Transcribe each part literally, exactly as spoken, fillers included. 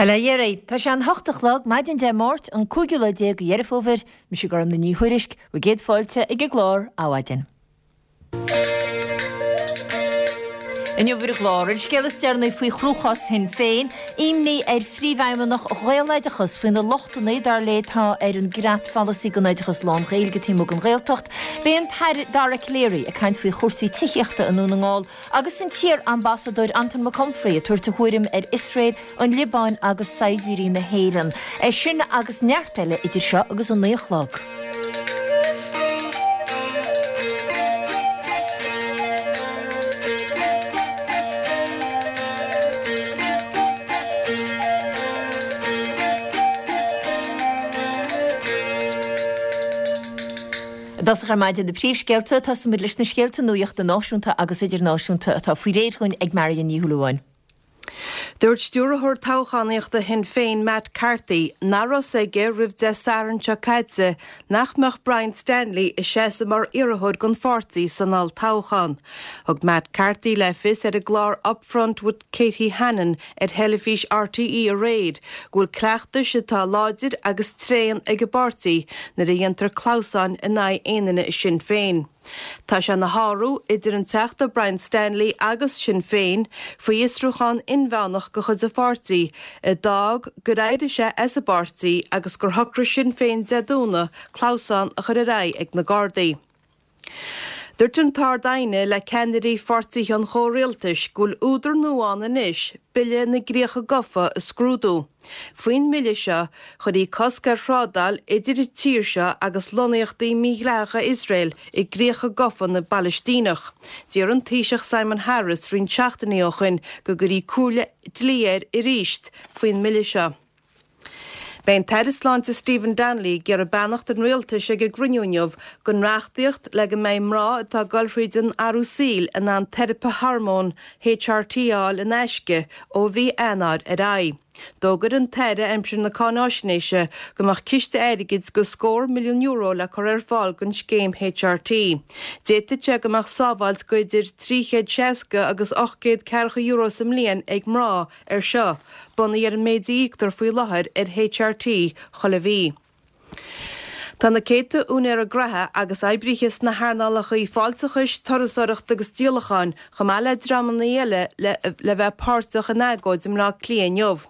Bail ó Dhia oraibh. Tá sé an hocht a chlog, maidin Dé Máirt, an cúigiú lá déag de Dheireadh Fómhair. Mise Gormlaith Ní Thuairisg, bhur gcéad fáilte ag an gclár Adhmhaidin. Inniu ar an gclár, an scéal is deireanaí faoi chruachás Shinn Féin, imní ar phríomhfheidhmeannach Ghaeloideachas faoi na lochtanna dar léi atá ar an gcreatpholasaí don oideachas lán-Ghaeilge taobh amuigh den Ghaeltacht. Beidh an tAire Dara Calleary ag caint faoi chúrsaí tithíochta i nDún na nGall agus an t-iar-ambasadóir Anton McConfrey ag tabhairt a thuairim ar Iosrael, an Liobáin agus saighdiúirí na hÉireann. É sin agus neart eile idir seo agus a naoi a chlog. I dtosach ar maidin na príomhscéalta, tosóimid leis na scéalta nuachta náisiúnta agus idirnáisiúnta atá faoi réir dhúinn ag Marion Ní Shúilleabháin. Dúirt stiúrthóir toghchánaíochta Shinn Féin Matt Carthy nach raibh fhios aige roimh Dé Sathairn seo caite nach mbeadh Brian Stanley ag seasamh mar iarrthóir don pháirtí san olltoghchán. Thug Matt Carthy le fios ar an gclár Upfront with Katie Hannon ar theilifís RTÉ aréir go bhfuil cleachtais atá láidir agus tréan ag an bpáirtí nuair a dhéantar clamhsáin in aghaidh aon duine i Sinn Féin. Tá sé ina shárú idir an Teachta Brian Stanley agus Sinn Féin faoi fhiosrúchán inmheánach de chuid an pháirtí a d'fhág gur éirigh sé as an bpáirtí agus gur shocraigh Sinn Féin Dé Domhnaigh clamhsán a chur ar aghaidh ag na Gardaí. Dúirt an tArd-Aighne le ceannairí pháirtithe an chomhrialtais go bhfuil údar nua ann anois Bille na gCríocha Gafa a scrúdú. Faoin mbille seo, chuirfí cosc ar thrádáil idir an tír seo agus lonnaíochtaí mídhleathacha Iosrael i gcríocha gafa na bPalaistíneach. D'iarr an Taoiseach Simon Harris roinnt seachtainí ó shoin go gcuirfí comhairle dlí air arís faoin mbille seo. Beidh an tAire Sláinte Stephen Donnelly ag iarraidh beannacht an Rialtais ag an gcruinniú inniu don reachtaíocht le go mbeidh mná atá ag dul thríd an athrú saoil in ann teiripe hormón HRT a fháil in aisce ó mhí Eanáir ar aghaidh. D'fhógair an tAire aimsir na cáináisnéise go mbeadh ciste airgid de scór milliún euro le cur ar fáil don scéim HRT. D'fhéadfadh sé go mbeadh sábháilt de idir trí chéad seasca agus ocht gcéad ceathracha euro sa mbliain ag mná air seo, bunaithe ar an méid a íoctar faoi láthair ar HRT chuile mhí. Tá na céadta úinéara gnaithe agus oibrithe sna hearnálacha fáilteachais, turasóireachta agus díolacháin, chomh maith le dreamanna eile le bheith páirteach in agóid i mBleá Cliath inniu.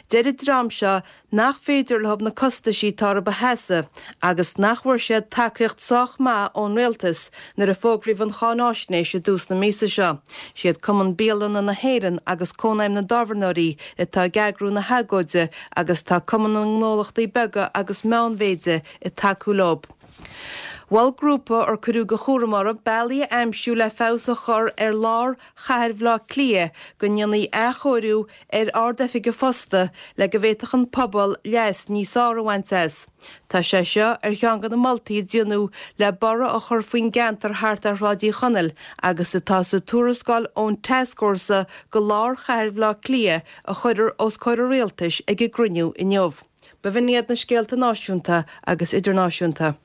Deir an dream seo nach féidir leo na costaisí atá orthu a sheasamh agus nach bhfuair siad tacaíocht sách maith ón rialtas nuair a fógraíodh an cháináisnéis i dtús na míosa seo. Siad Cumann Bialanna na hÉireann agus Cónaidhm na dTábhairneoirí atá ag eagrú na hagóide agus tá Cumann na nGnólachtaí Beaga agus Meánmhéide ag tacú leo. Mhol grúpa ar cuireadh de chúram orthu bealaí a aimsiú le feabhas a chur ar lár chathair Bhaile Átha Cliath go ndéanfaí athchóiriú ar Ard-Oifig an Phosta le go bhféadfadh an pobal leas níos fearr a bhaint as. Tá sé seo ar cheann de na moltaí a déanadh le borradh a chur faoin gceantar thart ar Shráid Uí Chonaill agus atá sa tuarascáil ón Tascfhórsa do Lár Chathair Bhaile Átha Cliath a chuirfear os comhair an Rialtais ag an gcruinniú inniu. B'in iad na scéalta náisiúnta agus idirnáisiúnta.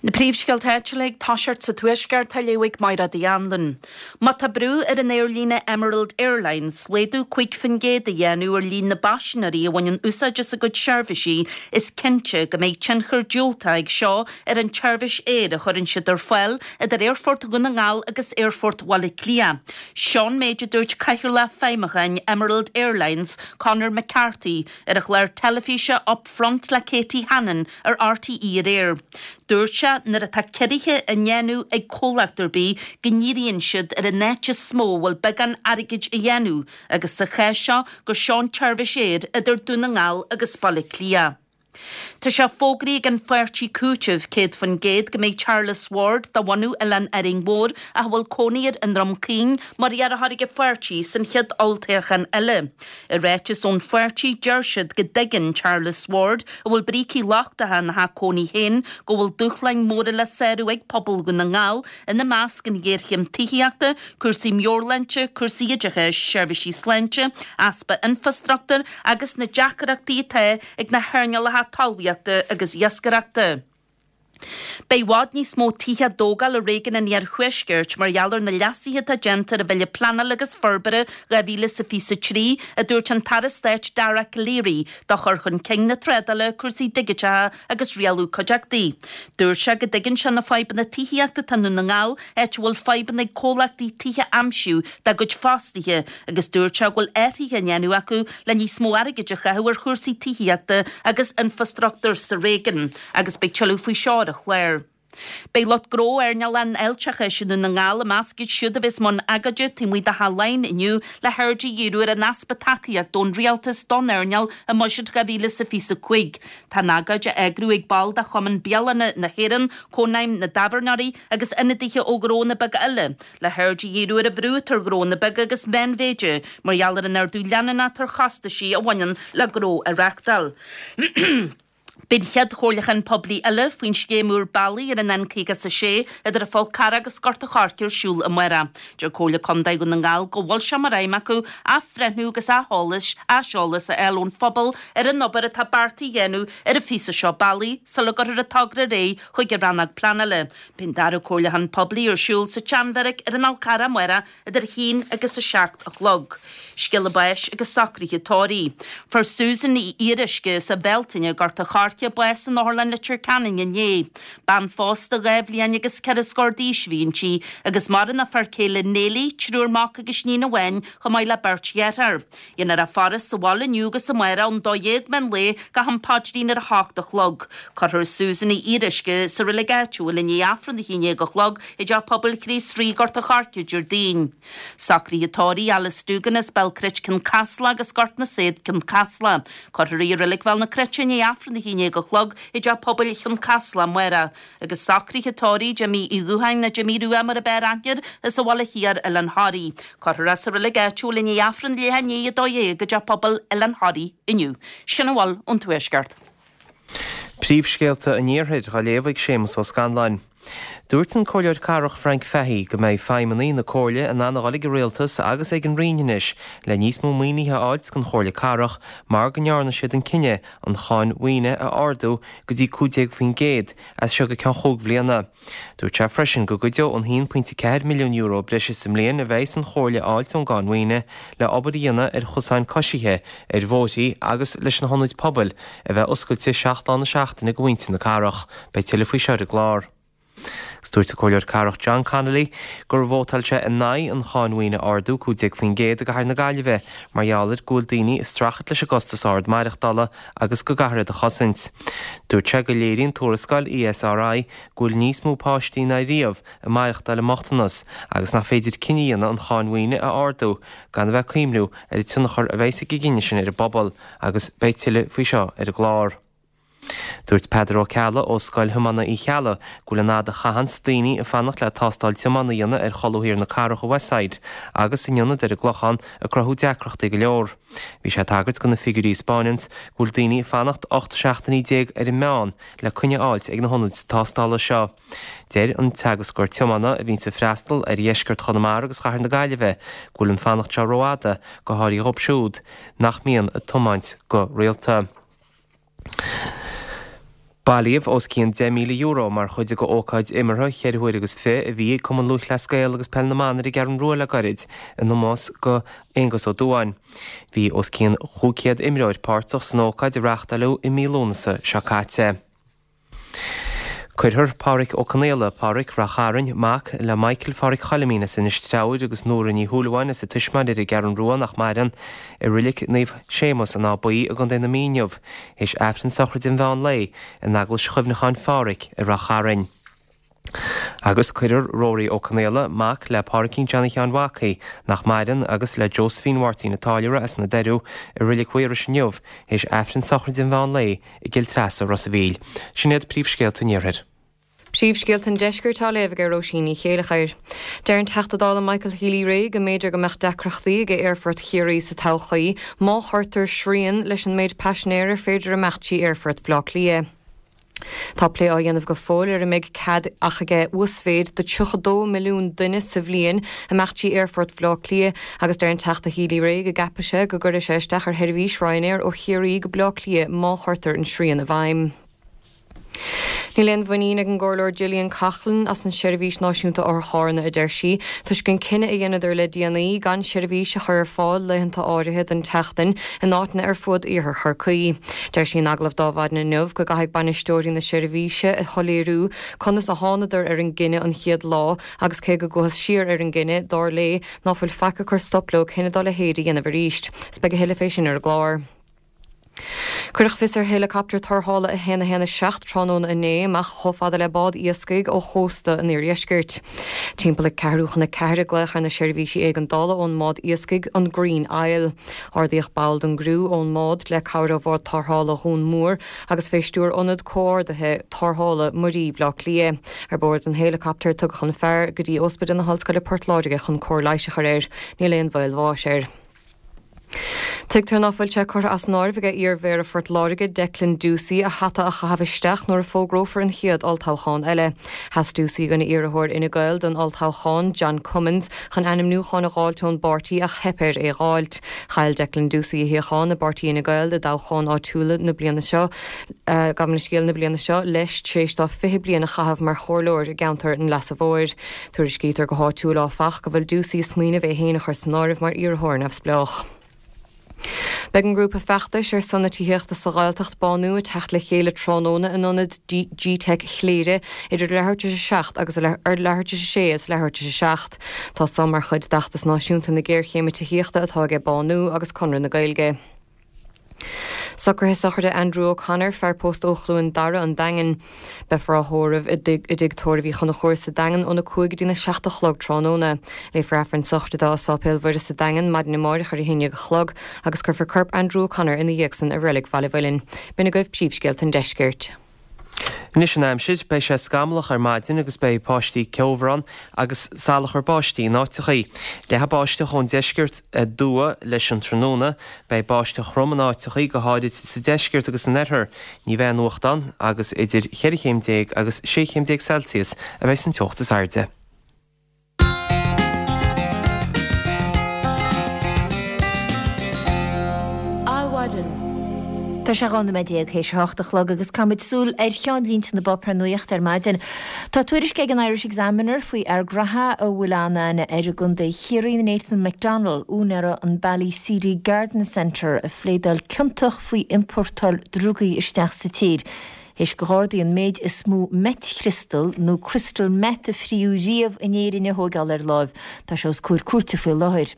Na príomhscéalta áitiúla ag toiseacht sa Tuaisceart á léamh ag Mairéad Uí Anluain. Má tá brú ar an aerlíne Emerald Airlines laghdú cúig faoin gcéad a dhéanamh ar líon na bpaisinéirí a bhaineann úsáid as a gcuid seirbhísí, is cinnte go mbeidh tionchar diúltach ag seo ar an tseirbhís aeir a chuireann siad ar fáil idir Aerfort Dhún na nGall agus Aerfort Bhaile Átha Cliath. Seo an méid a dúirt Cathaoirleach Feidhmiúcháin Emerald Airlines, Conor McCarthy, ar an chlár teilifíse Upfront le Katie Hannon ar RTÉ aréir. Dúirt sé nuair atá ciorruithe á ndéanamh ag comhlacht ar bith go ndíríonn siad ar an áit is mó a bhfuil beagán airgid a dhéanamh agus sa chás seo gur seo an tseirbhís aeir idir Dún na nGall agus Baile Átha Cliath. Tá sé fógraithe ag an pháirtí Cúiteamh céad faoin gcéad go mbeidh Charles Ward de bhunadh Oileán Árainn Mhór ach a bhfuil cónaí air i nDroim Caoin mar iarrthóir ag an pháirtí san chéad olltoghchán eile. I ráiteas ón pháirtí deir siad go dtuigeann Charles Ward, a bhfuil brící lochtacha ina theach cónaí féin, go bhfuil dúshláin mhóra le sárú ag pobal Dhún na nGall, ina measc an ghéarchéim tithíochta, cúrsaí meabhairshláinte, cúrsaí oideachais, seirbhísí sláinte, easpa infreastruchtúir agus na deacrachtaí atá ag na hearnálacha talmhaíochta agus iascaireachta. Beidh i bhfad níos mó tithe á dtógáil i réigiún an Iarthuaiscirt mar gheall ar na leasuithe atá déanta ar an Bhille Pleanála agus Forbartha dhá mhíle is a fiche a trí, a dúirt an tAire Stáit Dara Calleary do chur chun cinn na trádála, cúrsaí digiteacha agus rialú cuideachtaí. Dúirt sé go dtuigeann sé na fadhbanna tithíochta atá i nDún na nGall, áit a bhfuil fadhbanna ag comhlachtaí tithe a aimsiú dá gcuid fostaithe agus dúirt sé go bhfuil athruithe á ndéanamh acu le níos mó airgid a chaitheamh ar chúrsaí tithíochta agus infreastruchtúir sa réigiún agus beidh tuilleadh faoi seo ar an chlár. Beidh lucht gnó earnáil an fháilteachais i nDún na nGall i measc iad siúd a bheas i mbun agóide taobh amuigh de Theach Laighean inniu le haird a dhíriú ar an easpa tacaíochta ón rialtas don earnáil i mBuiséad dhá mhíle is a fiche a cúig. Tá an agóid á eagrú ag baill de Chumann Bialanna na hÉireann, Cónaidhm na dTábhairneoirí agus ionadaithe ó ghnónna beaga eile le haird a dhíriú ar an bhrú atá ar ghnónna beaga agus meánmhéide mar gheall ar an ardú leanúnach ar chostaisí a bhaineann le gnó a reáchtáil. Beidh an chéad chomhairliúchán poiblí eile faoin scéim úr bealaí ar an N caoga is a sé idir an Fhál Carrach agus Gort an Choirce ar siúl amárach. Deir Comhairle Contae Dhún na nGall go bhfuil sé mar aidhm acu athbhreithniú agus aiseolas a fháil ón phobal ar an obair atá beartaithe a dhéanamh ar an phíosa seo bealaigh sula gcuirfear an togra ar aghaidh chuig an Rannóg Pleanála. Beidh an dara comhairliúchán poiblí ar siúl sa tSeanbheairic ar an Fhál Carrach amárach idir a haon agus a seacht a chlog. Scéala báis agus socruithe tórraimh. Fuair Susan Ní Fhíoruisce as an Bhealtaine, Gort an Choirce, bás in Otharlann Leitir Ceanainn inné. Bean phósta dhá bhliain agus ceithre scór d'aois a bhí inti agus maireann a fear céile Neilí, triúr mac agus iníon amháin chomh maith le beirt dheartháir. Déanfar a faire sa bhaile inniu agus amárach ón dó dhéag meán lae go ham paidrín ar a hocht a chlog. Cuirfear Susan Ní Fhíoruisce sa reilig áitiúil i ndiaidh Aifreann a haon déag a chlog i dTeach Pobail Chríost Rí, Gort an Choirce, Déardaoin. Socruithe tórraimh Alice Doogan as Béal Cruit Cionn Caslach agus Gort na Saod Cionn Caslach. Cuirfear í i Reilig Bhéal na Cruite i ndiaidh Aifreann a haon déag a chlog i dTeach Pobail Chionn Caslach amárach. Agus socruithe tórraimh Jimí Uí Dhútháin nó Jimí Rua mar ab fhearr aithne air as an Bhaile Thiar, Oileán Thoraí. Cuirfear é sa reilig áitiúil i ndiaidh Aifreann leath i ndiaidh a dó dhéag i dTeach Pobail Oileán Thoraí inniu. Sin a bhfuil ón Tuaisceart. Príomhscéalta an Iarthair á léamh ag Séamus Ó Scanláin. Dúirt an Comhairleoir Cathrach Frank Fahey go mbeidh feidhmeannaigh na Comhairle in ann a dhul ag an Rialtas agus ag an Roinn anois le níos mó maoinithe a fháilt don Chomhairle Cathrach mar go ndearna siad an cinneadh an cháin mhaoine a ardú go dtí cúig déag faoin gcéad as seo go ceann chúig bhliana. Dúirt sé freisin go gcuideodh an haon pointe ceathair milliún euro breise sa mbliain a bheidh an Chomhairle a fháilt ón gcáin mhaoine le obair a dhéanamh ar chosáin coisithe, ar bhóithrí agus leis na hionaid pobail a bheith oscailte seacht lá na seachtaine go mhuintir na cathrach. Beidh tuilleadh faoi seo ar an gclár. Agus dúirt an Comhairleoir Cathrach John Connolly gur vótáil sé in aghaidh an cháin mhaoine a ardú cúig déag faoin gcéad i gcathair na Gaillimhe mar gheall ar go bhfuil daoine ag streachailt leis an gcostas ard maireachtála agus go gcaithfear iad a chosaint. Dúirt sé go léiríonn tuarascáil E S R I go bhfuil níos mó páistí ná riamh ag maireachtáil i mbochtanas agus nach féidir cinneadh a dhéanamh an cháin mhaoine a ardú gan a bheith ag cuimhniú ar an tionchar a bheidh ag an gcinneadh sin ar an bpobal agus beidh tuilleadh faoi seo ar an gclár. Dúirt Peadar Ó Ceallaigh ó Scoil Thiomána Uí Cheallaigh go bhfuil an fhad a chaitheanns daoine ag fanacht le tástáil tiomána a dhéanamh ar cholbha thiar na cathrach i Westside agus in ionad ar an gClochán ag cruthú deacrachtaí go leor. Bhí sé ag tagairt do na figiúirí a 'spáineanns go bhfuil daoine ag fanacht ocht seachtainí déag ar an meán le coinne a fháilt ag na hionaid tástála seo. Deir an teagascóir tiomána a bhíonns ag freastal ar dheisceart Chonamara agus chathair na Gaillimhe go bhfuil an fanacht seo rófhada go háirithe dóibh siúd nach mbíonn ag tiomáint go rialta. Bailíodh os cionn deich míle euro mar chuid de ócáid imeartha cheithre huaire agus fiche a bhí ag Cumann Lúthchleas Gael agus Peil na mBan ar an gCeathrú Rua le gairid in ómós go Aonghus Ó Dúáin. Bhí os cionn chúig chéad imreoir páirteach san ócáid a reáchtáladh i mí Lúnasa seo caite. Cuirfear Pádraic Ó Conaola, Pádraic Rath Chairn, mac le Michael Phádraic Choilimín as Inis Treabhair agus Nóra Ní Shúilleabháin as a tuismitheoirí ar an gCeathrú Rua nach maireann, i Reilig Naomh Séamus an Áth Buí i gContae na Mí inniu, théis Aifreann sochraide an mheán lae in Eaglais Chuimhneacháin Phádraic i Rath Chairn. Agus cuirfear Rory Ó Conaola, mac le Pádraicín Johnny Sheáin Mhacaí, nach maireann, agus le Josephine Mháirtín an Táilliúra as na Doiriú i Reilig Mhaorais inniu, théis Aifreann sochraide an mheán lae i gCill Treasa Ros a' Mhíl. Sin iad príomhscéalta an Iarthair. Príomhscéalta an Deiscirt á léamh ag Róisín Ní Chéilleachair. Deir an Teachta Dála Michael Healy-Rae go mb'fhéidir go mbeadh deacrachtaí ag Aerfort Chiarraí sa todhchaí má chuirtear srian leis an méid paisinéir ar féidir imeacht trí Aerfort Bhaile Átha Cliath. Tá plé á dhéanamh go fóill ar an mbeidh cead ach ag uasmhéid de tríocha dó milliún duine sa bhliain imeacht trí Aerfort Bhaile Átha Cliath agus deir an Teachta Healy-Rae go gceapann sé go gcuirfidh sé isteach ar sheirbhís Ryanair ó Chiarraí go Baile Átha Cliath má chuirtear an srian i bhfeidhm. Níl aon mhuinín ag an gComhairleoir Gillian Coughlan as an Seirbhís Náisiúnta Otharcharranna a deir sí, toisc an cinneadh a dheineadar le déanaí gan seirbhís a chur ar fáil laethanta áirithe den tseachtain in áiteanna ar fud iarthar Chorcaí. Deir sí in agallamh d'Adhmhaidin inniu go gcaithfidh bainisteoirí na seirbhíse a shoiléiriú conas a thánadar ar an gcinneadh an chéad lá agus cé go gcuathas siar ar an gcinneadh, dar léi ná fuil faic ag cur stop leo cinneadh dá leithéid a dhéanamh arís. 'S beidh a thuilleadh fé sin ar an gclár. Cuireadh fios ar héileacaptar tarrthála a haon a haon a seacht tráthnóna inné amach chomh fada le bád iascaigh ó chósta an iardheiscirt. Timpeall ag ceathrú chun a ceathair a glaodh ar na seirbhísí éigeandála ón mbád iascaigh an Green Isle. Ardaíodh ball den gcriú ón mbád le cabhair ó bhád tarrthála Dhún Mór agus fé stiúir Ionad Comhordaithe Tarrthála Muirí Bhaile Átha Cliath. Ar bord an héileacaptair tugadh an fear go dtí Ospidéal na hOllscoile Port Láirge chun cóir leighis a chur air. Níl aon bhaol bháis air. Tuigtear ná fuil sé curtha as an áireamh ag iar-mhéara Phort Láirge, Declan Ducey, a hata a chaitheamh isteach nuair a fógrófar an chéad olltoghchán eile. Sheas Ducey i gcoinne iarrthóir Fhine Gael don olltoghchán, John Cummins, chun ainmniúchán a dh'fháilt ón bpáirtí ach theip air é dh'fháilt. Chaill Declan Ducey a shuíochán i bpáirtí Fhine Gael i dtoghchán áitiúla na bliana seo, gabh mo leithscéal, na bliana seo, leis tar éis dó fiche bliain a chaitheamh mar chomhairleoir i gceantar an Leasa Mhóir. Tuairiscítear go háitiúil áfach go bhfuil Ducey ag smaoineamh é féin a chur san áireamh mar iarrthóir neamhspleách. Beidh an grúpa feachtais ar son na tithíochta sa Ghaeltacht, Bánú, ag teacht le chéile tráthnóna in ionad G-Teic Chléire idir leathuair tar éis a seacht agus leathuair tar éis a sé agus leathuair tar éis a seacht. Tá san mar chuid d'fheachtas náisiúnta na géarchéime tithíochta atá aige Bánú agus Conradh na Gaeilge. Socruithe sochraide Andrew O'Connor, fear pósta ó Chluain Dara, an Daingean. Beifear á thórramh i dTigh Tórraimh Uí Chonchúir sa Daingean óna cúig go dtína seacht a chlog tráthnóna. Léifear Aifreann sochraide dó i Sáipéal Mhuire sa Daingean maidin amáireach ar a haon déag a chlog agus cuirfear corp Andrew O'Connor ina dhiaidh san i Reilig Bhaile Mhuilinn. B'in agaibh príomhscéalta an deiscirt. Anois an aimsir, beidh sé scamallach ar maidin agus beidh paistí ceomhar ann agus salachar báistí in áiteachaí. Leathfaidh báisteach ón deisceart aduaidh leis an tráthnóna. Beidh báisteach throm in áiteachaí, go háirid sa deisceart agus san oirthear. Ní bheidh aon fhuacht ann agus idir cheithre chéim déag agus sé chéim déag Celsius a bheidh an teocht is airde. Adhmhaidin. Tá sé dhá nóiméad déag théis a hocht a chlog agus caithfimid súil ar cheannlínte na bpáipéar nuachta ar maidin. Tá tuairisc ag an Irish Examiner faoi fhear graithe a bhfuil an-aithne air i gContae Chiarraí, Nathan McDonnell, úinéara an Ballyseedy Garden Centre, a phléadáil ciontach faoi iompórtáil drugaí isteach sa tír. Théis do Ghardaí an méid is mó meitchriostal nó crystal meth a fríodh riamh in Éirinn a thóigeáil ar láimh, tá sé os comhair cúirte faoi láthair.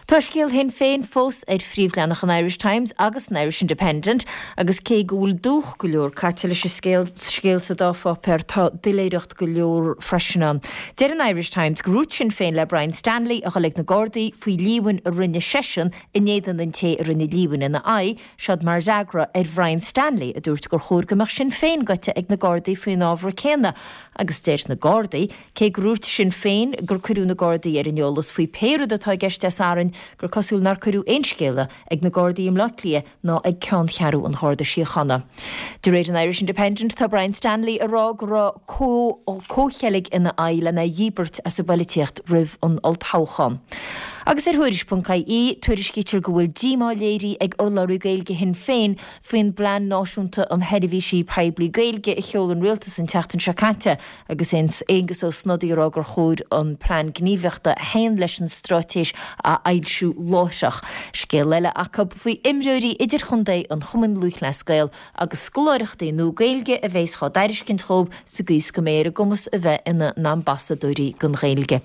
Tá scéal Shinn Féin fós ar phríomhleathanach an Irish Times agus an Irish Independent agus cé go bhfuil dúch go leor caite leis an scéal scéal sa dá pháipéar tá doiléireacht go leor freisin ann. Deir an Irish Times gur dhúirt Sinn Féin le Brian Stanley a dhul ag na Gardaí faoi líomhain a rinne seisean in éadan an té a rinne líomhain ina aghaidh, seod mar fhreagra ar Bhrian Stanley a dúirt gur chóir go mbeadh Sinn Féin goite ag na Gardaí faoin ábhar céanna agus deir na Gardaí, cé gur dhúirt Sinn Féin gur cuireadh na Gardaí ar an eolas faoi pé rud atá i gceist Dé Sathairn, gur cosúil nár cuireadh aon scéala ag na Gardaí i mBleá Cliath ná ag ceanncheathrú an Gharda Síochána. De réir an Irish Independent, tá Brian Stanley ag rá go raibh comhcheilg ina aghaidh lena dhíbirt as an bpoilitíocht roimh an olltoghchán. Agus ar Thuairisc ponc ie, tuairiscítear go bhfuil díomá léirithe ag urlabhraí Gaeilge Shinn Féin faoin bPlean Náisiúnta um Sheirbhísí Poiblí Gaeilge a sheol an Rialtas an tseachtain seo caite agus Aengus Ó Snodaigh ag rá gur chóir an plean gníomhaíochta a théann leis an straitéis a fhoilsiú láithreach. Scéal eile acu faoi imreoirí idirchontae an Chumainn Lúthchleas Gael agus scoláireachtaí nua Gaeilge a bheas á dtairiscint dhóibh sa gcaoi is go mbeidh ar a gcumas a bheith ina n-ambasadóirí don Ghaeilge.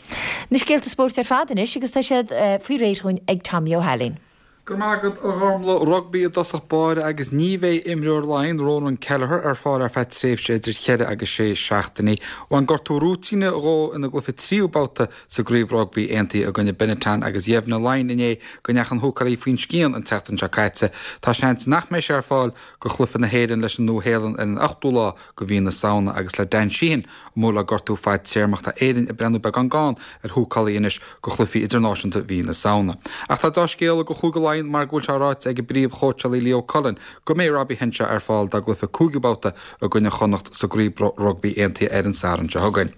Na scéalta spóirt ar fad anois agus tá siad faoi réir dhúinn ag Tommy Ó hAilín. Go raibh maith agat, a Ghormfhlaith. Rugbaí i dtosach báire agus ní bheidh imreoir Laighean, Ronan Kelleher, ar fáil ar feadh tréimhse idir cheithre agus sé seachtainí. Bhain gortú rúitíne dhó ina gcluiche tríú babhta sa gCraobh Rugbaí Aontaithe i gcoinne Benetton agus dheimhnigh Laighin inné go ndeachaigh an húcálaí faoin scian an tseachtain seo caite. Tá seans nach mbeidh sé ar fáil go chluiche na hÉireann leis an Nua-Shéalainn ar an ochtú lá go mhí na Samhna agus le Dan Sheehan amuigh le gortú fadtéarmach tá Éirinn ag breathnú beagán gann ar húcálaí anois go chluichí idirnáisiúnta mhí na Samhna. Ach tá dea-scéala go Chúige Laighean. Laighean mar go bhfuil sé ráite ag a bpríomhchóitseálaí Leo Cullen go mbeidh Robbie Henshaw ar fáil dá gcluiche cúigiú babhta i gcoinne Chonnacht sa gcraobh rugbaí aontaithe ar an Satharn seo chugainn.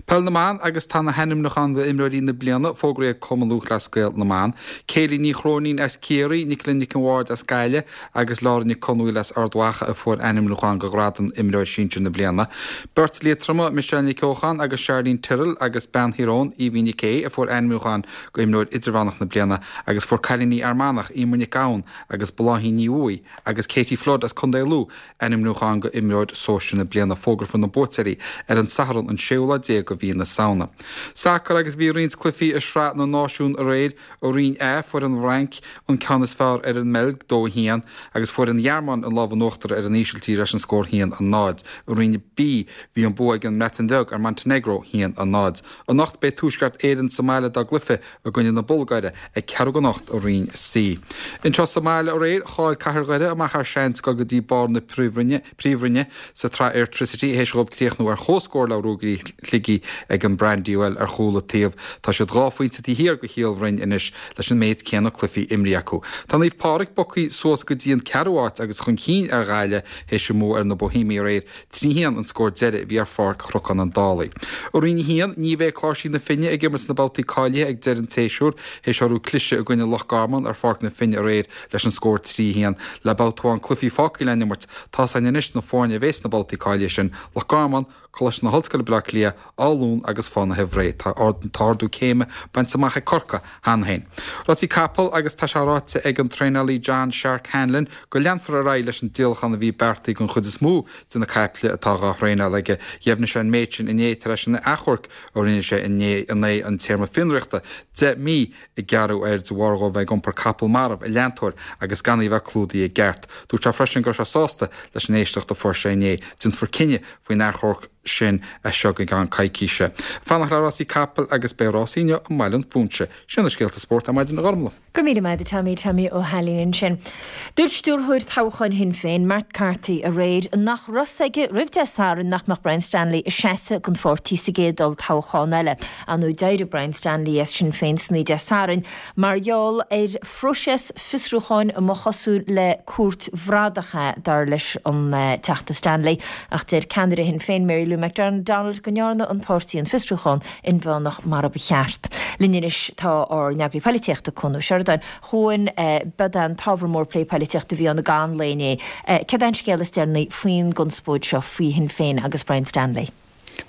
Peil na mBan agus tá na hainmniúcháin d'imreoirí na bliana fógraithe ag Cumann Lúthchleas Gael na mBan. Kayleigh Ní Chróinín as Ciarraí, Nicola Nic an Bhaird as Gaillimh agus Laura Nic Conmhaoil as Ard Mhacha a fuair ainmniúchán do ghradam imreoir sinsir na bliana. Beirt Liatroma Michelle Nic Eocháin agus Charlene Tyrrell agus bean Thír Eoghain Evie Nic Aodha a fuair ainmniúchán go imreoir idirmheánach na bliana agus fuair cailíní Fhear Manach Emer Nic Gabhann agus Bláithín Ní Bhuaidh agus Katie Flood as Contae Lú ainmniúchán go imreoir sóisir na bliana fógrófar na buaiteoirí ar an Satharn an séú lá déag de mhí na Samhna. Sacar agus bhí roinnt cluichí i Sraith na Náisiún aréir i Roinn A fuair an Fhrainc an ceann is fearr ar an mBeilg dó haon agus fuair an Ghearmáin an lámh in uachtar ar an Ísiltír leis an scór haon a náid. I Roinn B bhí an bua ag an mBreatain Bheag ar Montenegro haon a náid. Anocht beidh Tuaisceart Éireann sa mbaile dá gcluiche i gcoinne na Bulgáire ag ceathrú don ocht i Roinn C. Anseo sa mbaile aréir chaill Cathair Dhoire amach ar seans go dtí barr na príomhroinne príomhroinne sa tsraith Airtricity théis dóibh críochnú ar chomhscór le Ruagairí Shligigh ag an Brandywell ar chúl an taobh. Tá siad dhá phointe taobh thiar de Chill Bhroin anois leis an méid céanna cluichí imrithe acu. Tá Naomh Pádraig bogtha suas go dtí an ceathrú háit agus chun cinn ar Ghaillimh théis a mbua ar na Bohemiaigh aréir trí haon an scór deiridh a bhí ar Pháirc Chnocán an Dálaigh. I Roinn a haon ní bheidh Cláirsigh na Finne ag imirt sna babhtaí cáilithe ag deireadh an tséasúir théis orthu cliseadh i gcoinne Loch Garman ar Pháirc na Finne aréir leis an scór trí haon le babhta amháin cluichí fágtha le n-imirt tá againn anois na foirne a bheas sna babhtaí cáilithe sin Loch Garman, Coláiste na hOllscoile Baile Átha Cliath, Áth Luain agus Fánaithe Bhré tá ardú céime bainte amach ag Corcaigh cheana féin. Rásaí capall agus tá sé ráite ag an traenálaí John Shark Hanlon go leanfar ar aghaidh leis an díolachán a bhí beartaithe den chuid is mó de na caiple atá á thraenáil aige. Dheimhnigh sé an méid sin inné tar éis an achomhairc a rinne sé inné in aghaidh an téarma fionraíochta deich mí a gearradh air de bharr dó bheith ag iompar capall marbh i leantóir agus gan í bheith clúdaithe i gceart. Dúirt sé freisin go raibh sé sásta leis an éisteacht a fuair sé inné déanfar cinneadh faoin achomharc sin as seo go ceann coicíse. Fanacht le rásaí capall agus beidh rásaí inniu i mBaile an Phúinse. Sin na scéalta spóirt ar maidin a Ghormlaith. Go míle maith Tommy Tommy Ó hAilín sin. Dúirt stiúrthóir toghcháin Shinn Féin Matt Carthy aréir nach raibh a fhios aige roimh Dé Sathairn nach mbeadh Brian Stanley ag seasamh don pháirtí sa gcéad olltoghchán eile. Anú d'éirigh Brian Stanley as Sinn Féin san Dé Sathairn mar gheall ar phróiseas fiosrúcháin a mba chosúil le cúirt bhradach é dar leis an uh, Teachta Stanley ach deir ceannaire Shinn Féin Mary Lou McDonald go ndearna an páirtí an fiosrúchán inmheánach mar a ba cheart. Linn anois tá ár n-eagraí polaitíochta Cuan Ó Seireadáin chuan b'é an t-ábhar mór plé polaitíochta a bhí ann gan léné. Cad é an scéal is deireanaí faoin gconspóid seo faoi Shinn Féin agus Brian Stanley.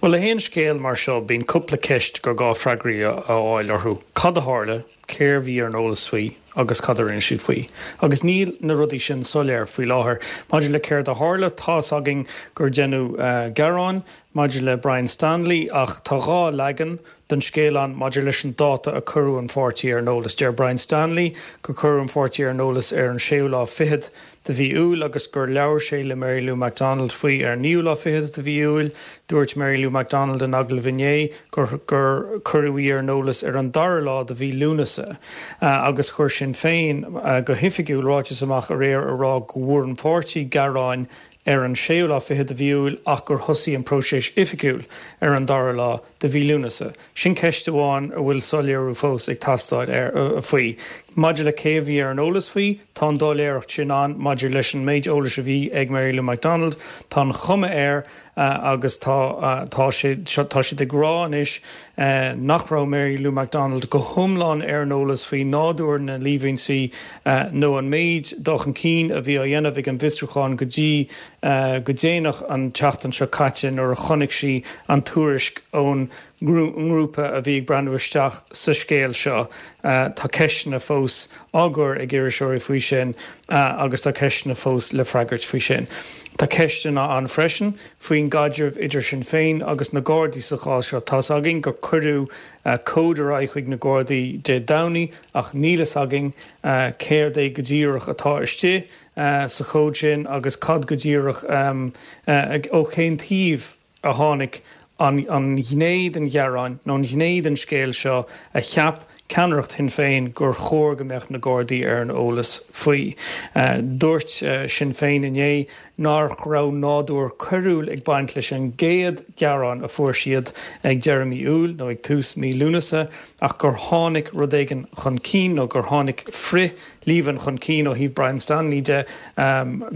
Well le haon scéal mar seo bíonn cúpla ceist gur gá freagraí a fháil orthu. Cad a tharla, cé a bhí ar an eolas faoi agus cad a rinne siad faoi. Agus níl na rudaí sin soiléir faoi láthair. Maidir le céard a tharla tá againn gur deineadh uh, gearán maidir le Brian Stanley ach tá dhá leagan den scéal ann maidir leis an dáta a cuireadh an pháirtí ar an eolas. Deir Brian Stanley gur cuireadh an pháirtí ar an eolas ar an séú lá fichead de mhí Iúil agus gur labhair sé le Mary Lou McDonald faoi ar naoú lá fichead de mhí Iúil, dúirt Mary Lou McDonald in agallamh inné gur gur cuireadh í ar an eolas ar an dara lá de mhí Lúnasa uh, agus chuir Sinn Féin uh, go hoifigiúil ráiteas amach aréir a rá go bhfuair an pháirtí gearán ar an séú lá fichead de mhí Iúil ach gur thosaigh an próiseas oifigiúil ar an dara lá de mhí Lúnasa. Sin ceist amháin a bhfuil soiléiriú fós ag teastáil ar uh, faoi. Maidir le cé bhí ar an eolas faoi, tá an doiléireacht sin ann maidir leis an méid eolais a bhí ag Mary Lou McDonald, Tá an chuma air uh, agus tá uh, tá sé tá siad ag rá anois uh, nach raibh Mary Lou McDonald go hiomlán ar an eolas faoi nádúr na líomhaintí uh, nó an méid dul chun cinn a bhí á dhéanamh ag an bhfiosrúchán go dtí uh, go déanach an tseachtain seo caite nuair a chonaic sí an tuairisc ón ngrúpa a bhí ag breathnú isteach sa scéal seo uh, tá ceisteanna fós á gcur ag iriseoirí faoi sin uh, agus tá ceisteanna fós le freagairt faoi sin. Tá ceisteanna ann freisin faoin gcaidreamh idir Sinn Féin agus na Gardaí sa chás seo tá againn gur cuireadh uh, comhad ar aghaidh chuig na Gardaí Dé Domhnaigh ach níl a fhios againn uh, céard é go díreach atá istigh uh, sa chomhad sin agus cad go díreach um, uh, ó cén taobh a tháinig an, an ghné den ghearán nó an ghné den scéal seo a cheap ceannaireacht Shinn Féin gur chóir go mbeadh na Gardaí ar an eolas faoi. Dúirt Sinn Féin inné nach raibh nádúr coiriúil ag baint leis an gcéad ghearán a fuair siad ag deireadh mí Iúil nó ag tús mí Lúnasa ach gur tháinig rud éigin chun cinn nó gur tháinig frith-líomhain chun cinn ó thaobh Brian Stanley de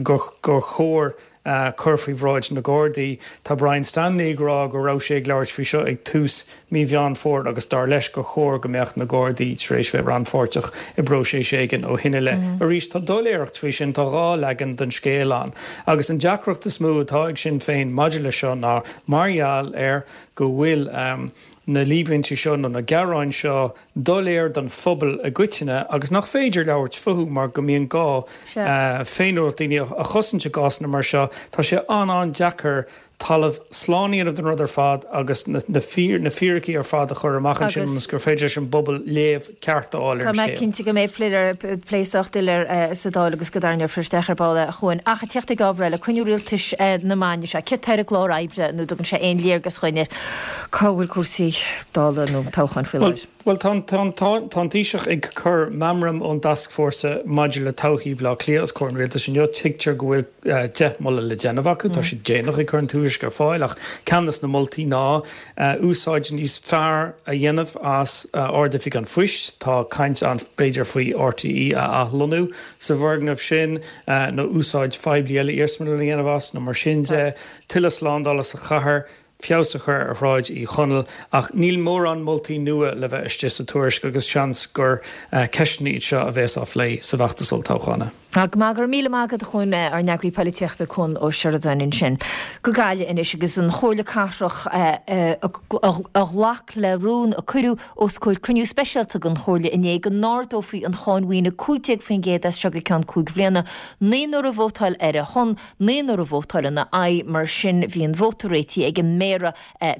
gur chóir cur faoi bhráid na Gardaí. Tá Brian Stanley ag rá go raibh sé ag labhairt faoi seo ag tús mí Mheán Fómhair agus dar leis gur chóir go mbeadh na Gardaí tar éis bheith rannpháirteach i bpróiseas éigin ó shin i leith. Arís, tá doiléireacht faoi sin, tá dhá leagan den scéal ann. Agus an deacracht is mó atá ag Sinn Féin maidir leis seo ná mar gheall ar go bhfuil na líomhaintí seo nó na gearáin seo doiléir don phobal i gcoitinne agus nach féidir labhairt fúthu mar go mbíonn gá féiniúlacht daoine a chosaint i gcásanna mar seo. Tá sé an-an-deacair talamh slán a dhéanamh den rud ar fad agus na fíricí ar fad a chur amach ansin ionas gur féidir leis an bpobal léamh ceart a fháil ar an scéal. Tá mé cinnte go mbeidh plé sách doiléir sa Dáil agus go dtarraingeofar isteach ar ball é, a Chuain. Ach ag teacht ag ábhar eile, cruinniú rialtais na maidine seo, céard tá ar an gclár oibre nó dtugann sé aon léargas dhuinn ar cá bhfuil cúrsaí Dála nó toghcháin faoi láthair? Bhuel, tá an Taoiseach ag cur meamram ón dtascfhórsa maidir le todhchaí Bhaile Átha Cliath os comhair an rialtais inniu. Tuigtear go bhfuil deich moladh le déanamh acu. Tá siad déanach ag cur an tuairisc ar fáil ach ceann de na moltaí ná úsáid níos fearr a dhéanamh as Ard-Oifig an Phoist. Tá caint ann b'fhéidir faoi RTÉ a athlonnú sa bhfoirgneamh sin nó úsáid phoiblí eile, iarsmalann a dhéanamh as nó mar sin de. Tuilleadh slándála sa chathair. feabhas a chur ar Shráid Uí Chonaill ach níl mórán moltaí nua le bheith istigh sa tuairisc agus seans gur ceisteanna iad seo a bheas á phlé sa bhfeachtas olltoghchána. Go maith, go raibh míle maith agat a Chuain, ár n-eagraí poilitíochta Cuan Ó Seireadáin ansin. Go Gaillimh anois agus an Chomhairle Cathrach a ghlac le rún a cuireadh os comhair cruinniú speisialta den Chomhairle inné go n-ardófaí an cháin mhaoine cúig déag faoin gcéad as seo go ceann cúig bhliana. Naonúr a vótáil ar a shon, naonúr a vótáil ina aghaidh. Mar sin bhí an vóta réitithe ag an Méara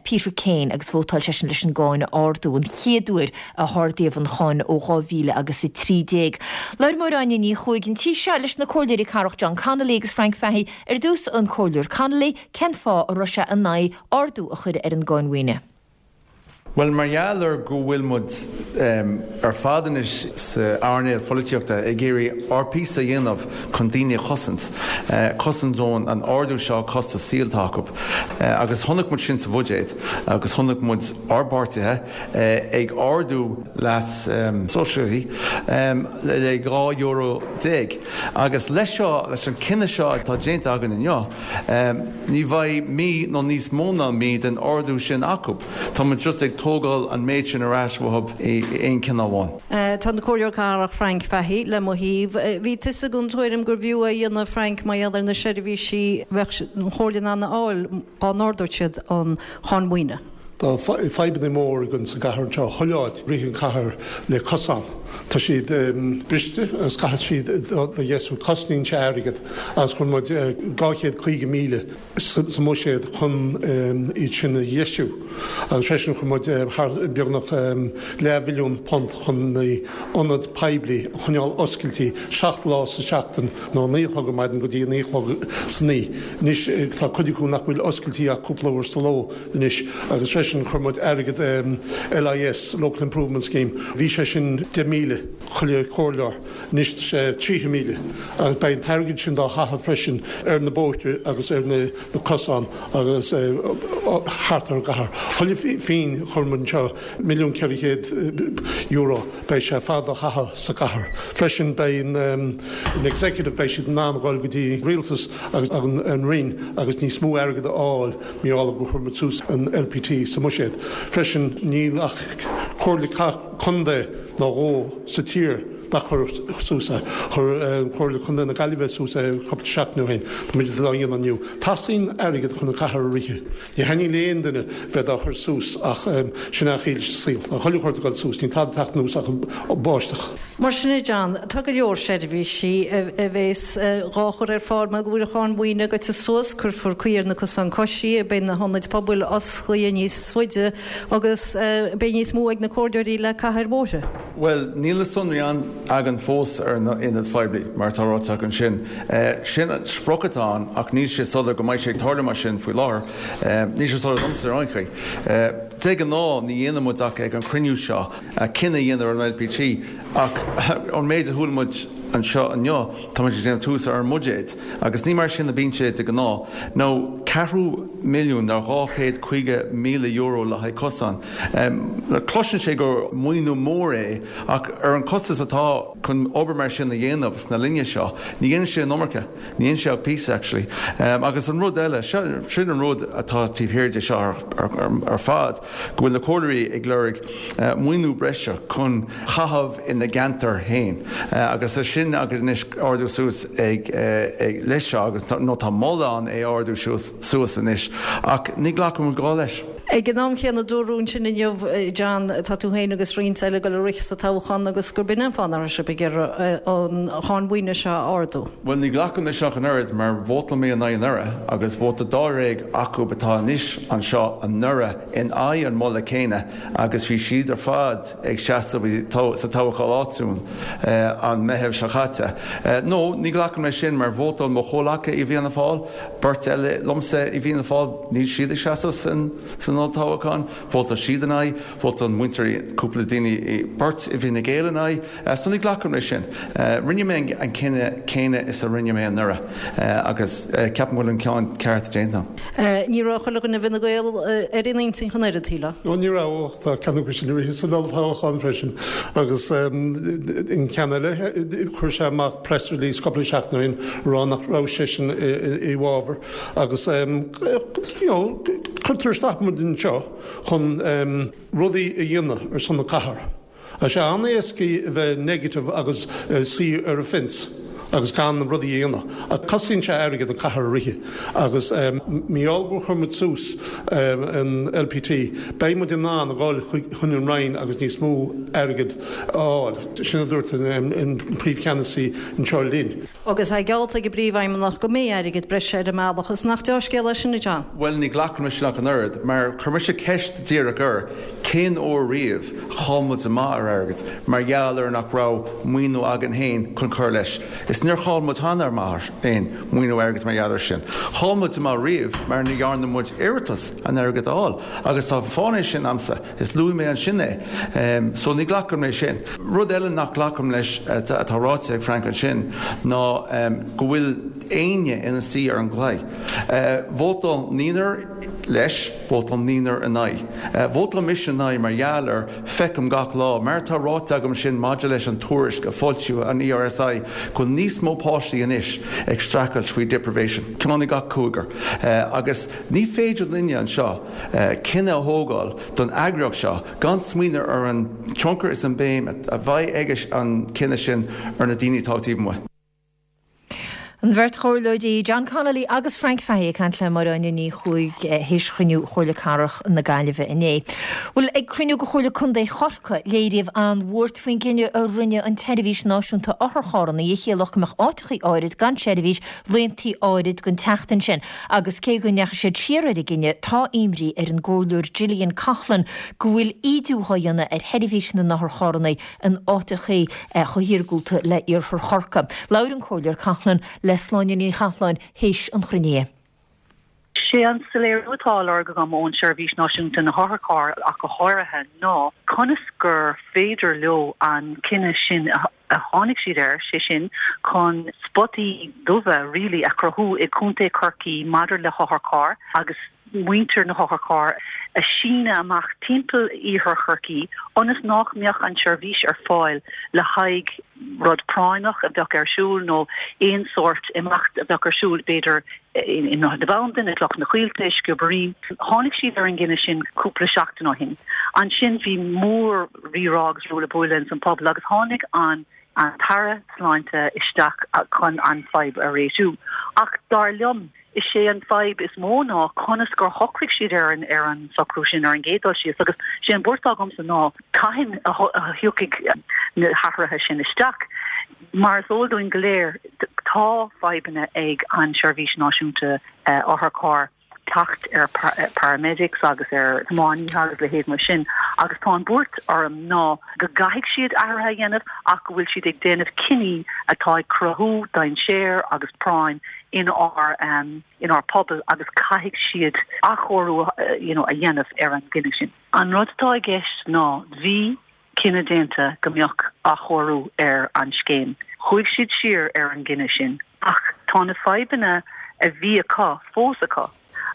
Peter Kane agus vótáil seisean leis an gcáin a ardú, an chéad uair a hardaíodh an cháin ó dhá mhíle agus a trí déag. Labhair Máire Áine Ní Chuaig an tí seo leis na Comhairleoirí Cathrach John Connolly agus Frank Fahey. Ar dtús an Comhairleoir Connolly, cén fáth a raibh sé in aghaidh ardú a chur ar an gcáin mhaoine? Bhuel, mar gheall ar go bhfuil muid ar fad anois sa earnáil pholaitíochta ag iarraidh ár bpíosa a dhéanamh chun daoine a chosaint, cosaint ón an ardú seo costas saoil atá acu. Agus chonaic muid sin sa bhuiséad agus chonaic muid ár bpáirtithe ag ardú leas sóisialaí le dhá euro déag. Agus leis seo, leis an cinneadh seo atá déanta againn inniu, ní bheidh mí nó níos mó ná mí den ardú sin acu. Tá muid just ag tógáil an méid sin ar ais uathu i aon cinneadh amháin. Tá an Comhairleoir Cathrach Frank Fahey le mo thaobh. Bhí tusa den tuairim gurbh fhiú é a dhéanamh, Frank, mar gheall ar na seirbhísí a bheadh an Chomhairle in ann a fháil dá n-ardódh siad an cháin mhaoine. Tá fadhbanna mór againn sa gcathair anseo, chuile áit, rith an chathair le cosán. Tá siad briste agus caithfidh siad a dheisiú. Cosnaíonn sé airgead agus chuir muid dhá chéad caoga míle sa mbuiséad chun iad sin a dheisiú agus freisin chuir muid thar beagnach leathmhilliún punt chun na ionaid poiblí a choinneáil oscailte seacht lá sa tseachtain nó a naoi a chlog ar maidin go dtí a naoi a chlog san oíche. Anois tá cuid acu nach bhfuil oscailte ach cúpla uair sa ló anois agus freisin chuir muid airgead LIS, Local Improvement Scheme, bhí sé sin deich míle chuile chomhairleoir, anois tá sé tríocha míle agus beidh an t-airgead sin dá chaitheamh freisin ar na bóithre agus ar na cosáin agus thart ar an gcathair. Chuile phingin a chuir muid anseo, milliún ceithre chéad euro, beidh sé ar fad á chaitheamh sa gcathair. Freisin beidh an Executive, beidh siad in ann a dhul go dtí Rialtas agus an Roinn agus níos mó airgead a fháil mar gheall gur chuir muid suas an LPT sa mbuiséad. Freisin níl ach Comhairle Contae nó dhó sa tír nár chuir suas é. Chuir Comhairle Contae na Gaillimhe suas é cúpla seachtain ó shin. Tá muid á dhéanamh inniu. Teastaíonn airgead chun an chathair a rith. Ní thaitníonn le aon duine bheith dá chur suas ach sin é an chaoi leis an saol. Tá chuile shórt ag dul suas, níl tada ag teacht anuas ach an báisteach. Mar sin é John, tá go leor seirbhísí a bheas dhá chur ar fáil mar go bhfuil an cháin mhaoine goite suas, cuirfear caoi ar na cosáin coisí, beidh na hionaid pobail osclaithe níos faide agus beidh níos mó ag na comhairleoirí le caitheamh ar bhóithre. Bhuel, níl na sonraí ann againn fós ar na ionaid phoiblí, mar atá ráite acu ansin. Sin an sprioc atá ann ach níl sé soiléir go mbeidh sé ag tarlú mar sin faoi láthair. Níl sé soiléir domsa ar aon chaoi. De ghnáth ní dhéanann muid ach ag an chruinniú seo cinneadh a dhéanamh ar an LPT ach ón méid a chuala muid anseo inniu tá muid ag déanamh tús ar an mbuiséad agus ní mar sin a bíonn sé de ghnáth. Nó ceathrú milliún nó dhá chéad caoga míle euro le haghaidh cosán. Cloiseann sé gur maoiniú mór é ach ar an costas atá chun obair mar sin a dhéanamh sna linne seo, ní dhéanann sé an iomarca, ní dhéanann sé ach píosa actually. Agus an rud eile, sin an rud atá taobh thiar de seo ar fad, go bhfuil na comhairleoirí ag lorg maoiniú breise chun caitheamh ina gceantar féin agus é sin agus anois ardú suas ag leis seo agus nó tá moladh ann é ardú suas anois ach ní ghlacann muid leis. Ag an am chéanna dúradh ansin inniu, John, tá tú féin agus roinnt eile ag dul a rith sa toghchán agus gurb in an fáth nach raibh sibh ag iarraidh an cháin mhaoine seo a ardú. Bhuel, ní ghlacaim leis ach an oiread mar vótáil mé in aghaidh anuraidh agus vóta dáréag acu atá anois anseo anuraidh in aghaidh an moladh céanna agus bhí siad ar fad ag seasamh sa toghchán áitiúil an Meitheamh seo caite. No, ní ghlacaim leis sin mar vótáil mo chomhleacaithe i bhFianna Fáil, beirt eile liomsa i bhFianna Fáil, níl siad ag seasamh san olltoghchán, vótáil siad in aghaidh, vótáil muintir cúpla daoine, beirt i bhFine Gael in aghaidh, so ní ghlacaim leis sin. Rinne mé an cinneadh céanna is a rinne mé anuraidh agus ceapaim go bhfuil an ceann ceart déanta. Ní raibh chuile dhuine i bhFine Gael ar aon intinn ach an oiread, shílfeá? No, ní raibh, ach tá ceann acu sin ag rith san olltoghchán freisin agus an ceann eile, chuir sé amach press release cúpla seachtain ó shin ag rá nach raibh seisean i bhfabhar agus you know cuirtear isteach muid anseo chun rudaí a dhéanamh ar son na cathrach. Tá sé an-éasca a bheith negative agus suí ar an fence agus gan rudaí a dhéanamh. Ach cosnaíonn sé airgead an cathair a rith agus mar gheall gur chuir muid suas an LPT, beidh muid in ann a dhul chun an Roinn agus níos mó airgead a fháil. Sin a dúirt an príomhcheannasaí anseo linn. Agus é geallta ag an bPríomhfheidhmeannach go mbeidh airgead breise ar an mbealach, is nach dea-scéal é sin, a John? Bhuel, ní ghlacaim leis sin ach an oiread, mar chuir mise ceist díreach air, cén uair riamh a chaill muid amach ar airgead mar gheall ar nach raibh maoiniú againn féin chun cur leis? Is níor chaill muid cheana amach aon mhaoiniú airgid mar gheall air sin. Chaill muid amach riamh mar ní dhearna muid iarratas an airgead a fháil agus tá fáth é sin a'msa, is luaigh mé ansin é. So ní ghlacaim leis sin. Rud eile nach nglacaim leis atá ráite ag Frank ansin ná go bhfuil éinne ina suí ar an gclaí. Vótáil naonúr leis, vótáil naonúr in aghaidh. Vótáil mise in aghaidh mar gheall ar, feicim gach lá, mar atá ráite agam sin maidir leis an tuairisc a foilsíodh an ERSI, go bhfuil níos mó páistí anois ag streachailt faoi deprivation, ceann i gach cúigear. Agus ní féidir linne anseo cinneadh a thógáil don eagraíocht seo gan smaoineamh ar an tionchar is an béim a bheidh ag an cinneadh sin ar na daoine atá taobh amuigh. An bheirt chomhairleoirí John Connolly agus Frank Fahey ag caint le Máire Áine Ní Chuaig théis chruinniú Chomhairle Cathrach na Gaillimhe inné. Bhuel, ag cruinniú de Chomhairle Contae Chorcaí, léiríodh an-bhuairt faoin gcinneadh a rinne an tSeirbhís Náisiúnta Otharcharranna a chiallódh go mbeadh áiteachaí áirid gan seirbhís laethanta áirid den tseachtain sin. Agus cé go ndeachaigh siad siar ar an gcinneadh, tá imní ar an gComhairleoir Gillian Coughlan go bhfuil ídiú á dhéanamh ar sheirbhís na n-otharcharranna in áiteachaí chomh hiargúlta le Iarthar Chorcaí. Labhair an Comhairleoir Coughlan le Sláine Ní Chathalláin théis an chruinnithe. Sé an soiléiriú atá á lorg agam ón Seirbhís Náisiúnta na hOtharcharr ach go háirithe ná conas gur féidir leo an cinneadh sin a tháinig siad air, sé sin chun spotaí dubha really a chruthú i gContae Chorcaí maidir le hotharchairr agus muintir na hotharcharr a síneadh amach timpeall iarthar Chorcaí ionas nach mbeadh an tseirbhís ar fáil le haghaidh rud práinneach a bheadh ar siúl nó aon sórt imeacht a bheadh ar siúl, b'fhéidir i nDroichead na Bandan, i gCloich na Coillte, i Sciobairín. Tháinig siad ar an gcinneadh sin cúpla seachtain ó shin. Ansin bhí mór rírá agus ruaille buaille ins an pobal agus tháinig an an tAire Sláinte isteach chun an fadhb a réitiú. Ach dar liom, is é an fadhb is mó ná conas gur shocraigh siad ar an ar an socrú sin ar an gcéad dul síos agus sé an bhuairt atá agamsa ná cathain a thiocfaidh na hathruithe sin isteach. Mar is eol dúinn go léir, tá fadhbanna ag an Seirbhís Náisiúnta Otharcharr. teacht ar paramedics agus ar thiománaithe agus leithéid mar sin agus tá an buairt orm ná go gcaithfidh siad athruithe a dhéanamh ach go bhfuil siad ag déanamh cinní atá ag cruthú dainséar agus práinn in ár um, in ár pobal agus caithfidh siad athchóiriú you know, a dhéanamh ar an gcinneadh sin. An rud atá i gceist ná bhí cinneadh déanta go mbeadh athchóiriú ar an scéim. Chuaigh siad siar ar an gcinneadh sin, ach tá na fadhbanna a bhí acu fós acu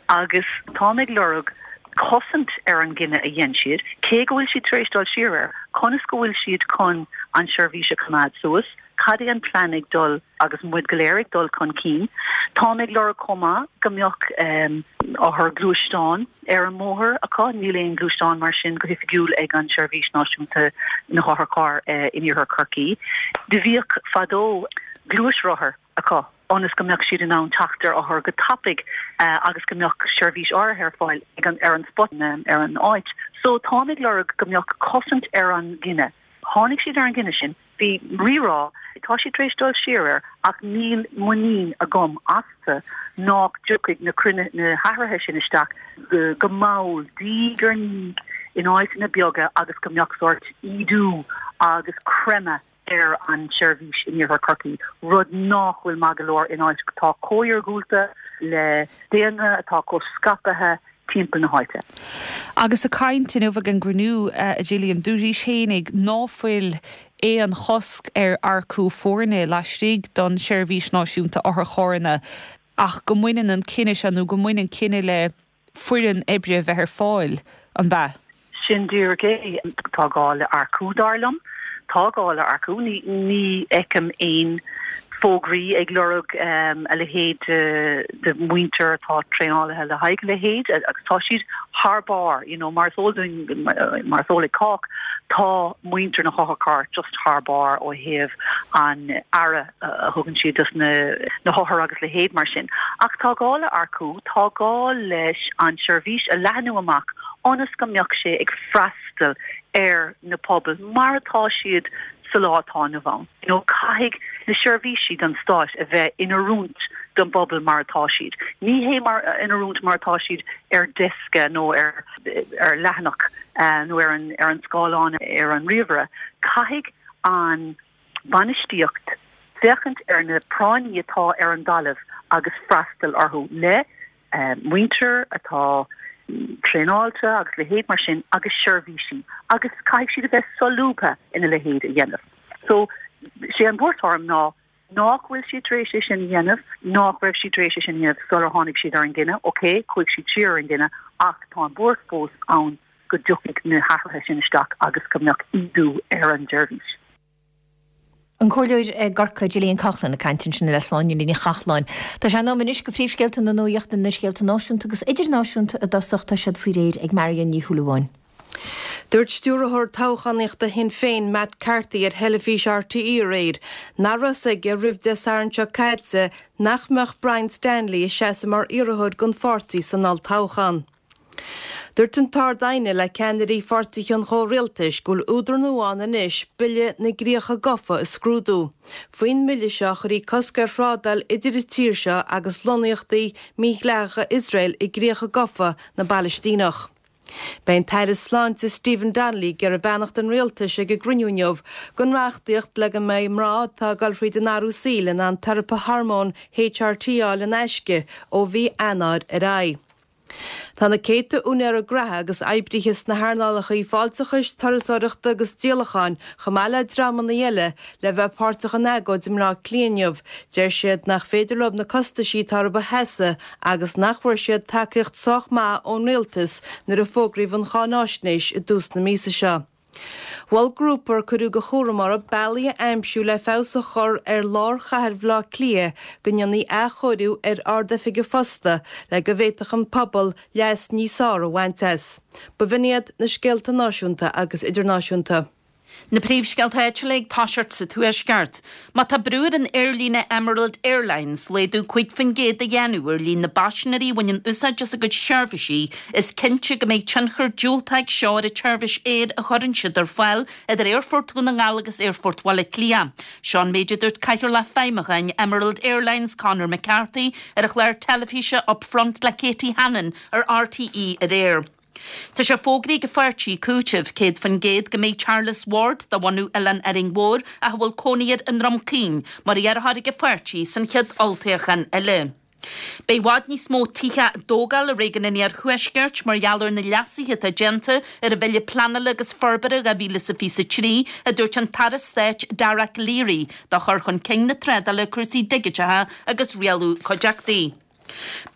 agus táim ag lorg cosaint ar an gcinneadh a dhein siad, cé go bhfuil siad tar éis dul siar air, conas go bhfuil siad chun an seirbhís a choimeád suas, cad é an plean ag dul agus muid go léir ag dul chun cinn. Táim ag lorg chomh maith go mbeadh um, othar gluaisteán ar an mbóthar acu, níl aon gluaisteán mar sin go hoifigiúil ag an Seirbhís Náisiúnta na hOtharcharr eh, in Iarthar Chorcaí. Do bhíodh fadó gluaisrothar acu ionas go mbeadh siad in ann teacht ar othar go tapaidh eh, agus go mbeadh seirbhís áirithe ar fáil ag an ar an spot ar an áit. So táim ag lorg go mbeadh cosaint ar an gcinneadh. Tháinig siad ar an gcinneadh sin, bhí rírá, tá siad tar éis dul siar air ach níl muinín agam astu nach dtiocfaidh na cruinne na hathruithe sin isteach go, go mall diaidh ar ndiaidh in áiteanna beaga agus go mbeadh sórt ídiú agus creimeadh ar an tseirbhís in Iarthar Chorcaí, rud nach bhfuil maith go leor in áit atá chomh hiargúlta le daonra atá chomh scaipthe timpeall na háite. Agus ag caint inniu ag an gcruinniú a Gillian, dúraís fhéinig ná fuil aon chosc ar earcú foirne laistigh don Seirbhís Náisiúnta Otharcharranna ach go mbaineann an cinneadh seo nó go mbaineann cinneadh le foireann oibre a bheith ar fáil, an b'ea? Sin díreach é. Tá gá le earcú dar liom. Tá gá le earcú. Ní ní fheicim aon fógraí ag lorg a leithéid de mhuintir atá traenáilte le haghaidh a leithéid agus tá siad thar barr, you know, mar is eol dúinn, mar is eol ag cách, tá muintir na hotharcharr just thar barr ó thaobh an aire a thugann siad dos na na hothair agus leithéid mar sin. Ach tá gá le earcú, tá gá leis an seirbhís a leathnú amach ionas go mbeadh sé ag freastal ar na pobail mar atá siad sa lá atá inniu ann. You know, caithfidh na seirbhísí don stáit a bheith in oiriúint don bpobal mar atá siad. Ní hé mar in oiriúint mar atá siad ar deasca nó ar ar leathanach uh, nó ar an ar an scáileán ar an ríomhaire. Caithfidh an bainistíocht féachaint ar na práinní atá ar an dtalamh agus freastal orthu le uh, muintir atá traenáilte agus leithéid mar sin agus seirbhísí agus caithfidh siad a bheith solúbtha ina leithéid a dhéanamh. So sé an bhuairt orm ná nach bhfuil siad tar éis é sin a dhéanamh, nach raibh siad tar éis é sin a dhéanamh sular tháinig siad ar an gcinneadh, ok, chuaigh siad siar ar an gcinneadh ach tá an bhuairt fós ann go dtiocfaidh na hathruithe sin isteach agus go mbeadh ídiú ar an tseirbhís. An Comhairleoir i gCorcaigh Gillian Coughlan ag caint ansin le Sláine Ní Chathalláin. Tá sé in am anois go phríomhscéalta na nuachta na scéalta náisiúnta agus idirnáisiúnta i dtosach tá siad faoi réir ag Marion Ní Shúilleabháin. Dúirt stiúrthóir toghchánaíochta Shinn Féin Matt Carthy ar theilifís RTÉ aréir nach raibh a fhios aige roimh Dé Sathairn seo caite nach mbeadh Brian Stanley ag seasamh mar iarrthóir don pháirtí san olltoghchán. Dúirt an tArd-Aighne le ceannairí pháirtithe an chomhrialtais go bhfuil údar nua ann anois Bille na gCríocha Gafa a scrúdú. Faoin mbille seo chuirfí cosc ar thrádáil idir an tír seo agus lonnaíochtaí mídhleathacha Iosrael i gcríocha gafa na bPalaistíneach. Beidh an tAire Sláinte Stephen Donnelly ag iarraidh beannacht an rialtais ag an gcruinniú inniu don reachtaíocht le go mbeidh mná atá ag dul fríd an athrú saoil in ann teiripe hormón HRT a fháil in aisce ó mhí Eanáir ar aghaidh. Tá na céadta úinéirí gnaithe agus oibrithe sna hearnálacha fáilteachais, turasóireachta agus díolacháin, chomh maith le dreamanna eile, le bheith páirteach in agóid i mBleá Cliath inniu. Deir siad nach féidir leo na costaisí atá orthu a sheasamh agus nach bhfuair siad tacaíocht sách maith ón rialtas nuair a fógraíodh an cháináisnéis i dtús na míosa seo. Mhol grúpa ar cuireadh de chúram orthu bealaí a aimsiú le feabhas a chur ar lár chathair Bhaile Átha Cliath go ndéanfaí athchóiriú ar Ard-Oifig an Phosta le go bhféadfadh an pobal leas níos fearr a bhaint as. B'in iad na scéalta náisiúnta agus idirnáisiúnta. Na príomhscéalta áitiúla ag toiseacht sa Tuaisceart. Má tá brú ar an aerlíne Emerald Airlines laghdú cúig faoin gcéad a dhéanamh ar líon na bpaisinéirí a bhaineann úsáid as a gcuid seirbhísí, is cinnte go mbeidh tionchar diúltach ag seo ar an tseirbhís aeir a chuireann siad ar fáil idir Aerfort Dhún na nGall agus Aerfort Bhaile Átha Cliath. Seo an méid a dúirt Cathaoirleach Feidhmiúcháin Emerald Airlines Conor McCarthy ar an chlár teilifíse Upfront le Katie Hannon ar RTÉ aréir. Tá sé fógraithe ag an pháirtí Cúiteamh céad faoin gcéad go mbeidh Charles Ward de bhunadh Oileán Árainn Mhór ach a bhfuil cónaí air i nDroim Caoin mar iarrthóir ag an pháirtí san chéad olltoghchán eile. Beidh i bhfad níos mó tithe á dtógáil i réigiún an Iarthuaiscirt mar gheall ar na leasuithe atá déanta ar an Bhille Pleanála agus Forbartha dhá mhíle is a fiche a trí, a dúirt an tAire Stáit Dara Calleary do chur chun cinn na trádála, cúrsaí digiteacha agus rialú cuideachtaí.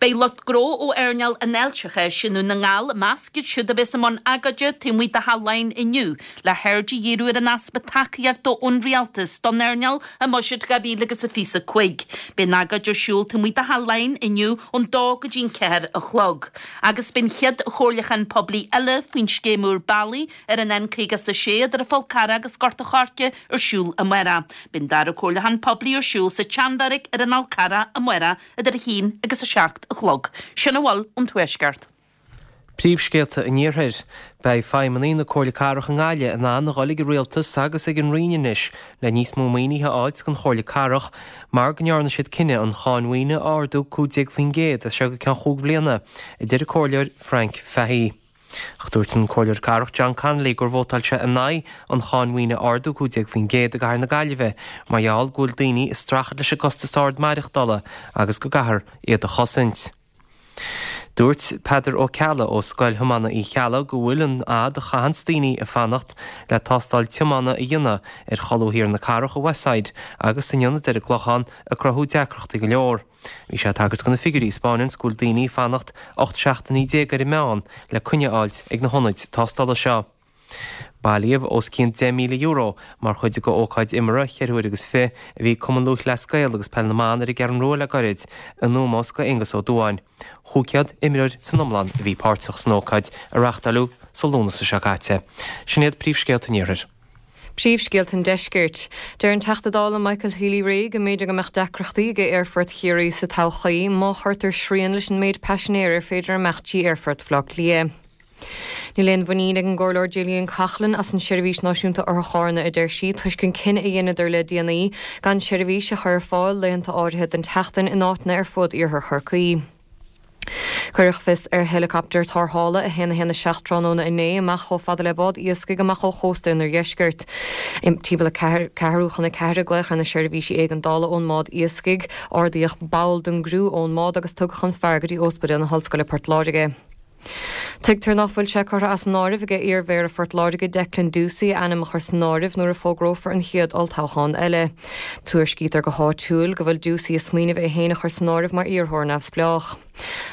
Beidh lucht gnó ó earnáil an fháilteachais i nDún na nGall i measc iad siúd a bheas i mbun agóide taobh amuigh de Theach Laighean inniu le haird a dhíriú ar an easpa tacaíochta ón Rialtas don earnáil i mBuiséad dhá mhíle agus a fiche a cúig. Beidh an agóid ar siúl taobh amuigh de Theach Laighean inniu ón dó go dtí an ceathair a chlog. Agus beidh an chéad chomhairliúchán poiblí eile faoin scéim úr bealaí ar an N caoga is a sé idir an Fál Carrach agus Gort an Choirce ar siúl amárach. Beidh an dara comhairliúchán poiblí ar siúl sa tSeanbheairic ar an Fhál Carrach amárach idir a haon agus a seacht a chlog. Sin a bhfuil ón Tuaisceart. Príomhscéalta an Iarthair. Beidh feidhmeannaigh na Comhairle Cathrach i nGaillimh in ann a dhul ag an Rialtas agus ag an Roinn anois le níos mó maoinithe a fháilt don Chomhairle Cathrach mar go ndearna siad cinneadh an cháin mhaoine a ardú cúig déag faoin gcéad as seo go ceann chúig bhliana, a deir an Comhairleoir Frank Fahey. Ach dúirt an Comhairleoir Cathrach John Connolly gur vótáil sé in aghaidh an cháin mhaoine a ardú cúig déag faoin gcéad i gcathair na Gaillimhe mar gheall go bhfuil daoine ag streachailt leis an gcostas ard maireachtála agus go gcaithfear iad a chosaint. Dúirt Peadar Ó Ceallaigh ó Scoil Thiomána Uí Cheallaigh go bhfuil an fhad a chaitheanns daoine ag fanacht le tástáil tiomána a dhéanamh ar cholbha thiar na cathrach i Westside agus san ionad ar an gClochán ag cruthú deacrachtaí go leor. Bhí sé ag tagairt do na figiúirí a 'spáineanns go bhfuil daoine ag fanacht ocht seachtainí déag ar an meán le coinne a fháilt ag na hionaid tástála seo. Bailíodh os cionn deich míle euro mar chuid de ócáid imeartha cheithre huaire agus fiche a bhí ag Cumann Lúthchleas Gael agus Peil na mBan ar an gCeathrú Rua le gairid, in ómós do Aonghus Ó Dubháin. Chúig chéad imreoir san iomlán a bhí páirteach san ócáid a reáchtáileadh sa Lúnasa seo caite. Sin iad príomhscéalta an Iarthair. Príomhscéalta an Deiscirt. Deir an Teachta Dála Michael Healy-Rae go mb'fhéidir go mbeadh deacrachtaí ag Aerfort Chiarraí sa todhchaí má chuirtear srian leis an méid paisinéir ar féidir imeacht trí Aerfort Bhaile Átha Cliath. Níl aon mhuinín ag an gComhairleoir Gillian Coughlan as an Seirbhís Náisiúnta Otharcharranna a deir sí toisc an cinneadh a dheineadar le déanaí gan seirbhís a chur ar fáil laethanta áirithe den tseachtain in áiteanna ar fud iarthar Chorcaí. Cuireadh fios ar heileacaptar tarrthála a haon a haon a seacht tráthnóna inné amach chomh fada le bád iascaigh amach ó chósta an oirdheiscirt. Timpeall a ceathrú chun a ceathair a glaodh ar na seirbhísí éigeandála ón mbád iascaigh. Ardaíodh ball den gcriú ón mbád agus tugadh an fear go dtí Ospidéal na hOllscoile Port Láirge. Tuigtear nach bhfuil sé curtha as an áireamh ag iar-mhéara Phort Láirge Declan Ducey a ainm a chur san áireamh nuair a fógrófar an chéad olltoghchán eile. Tuairiscítear go háitiúil go bhfuil Ducey ag smaoineamh é féin a chur san áireamh mar iarrthóir neamhspleách.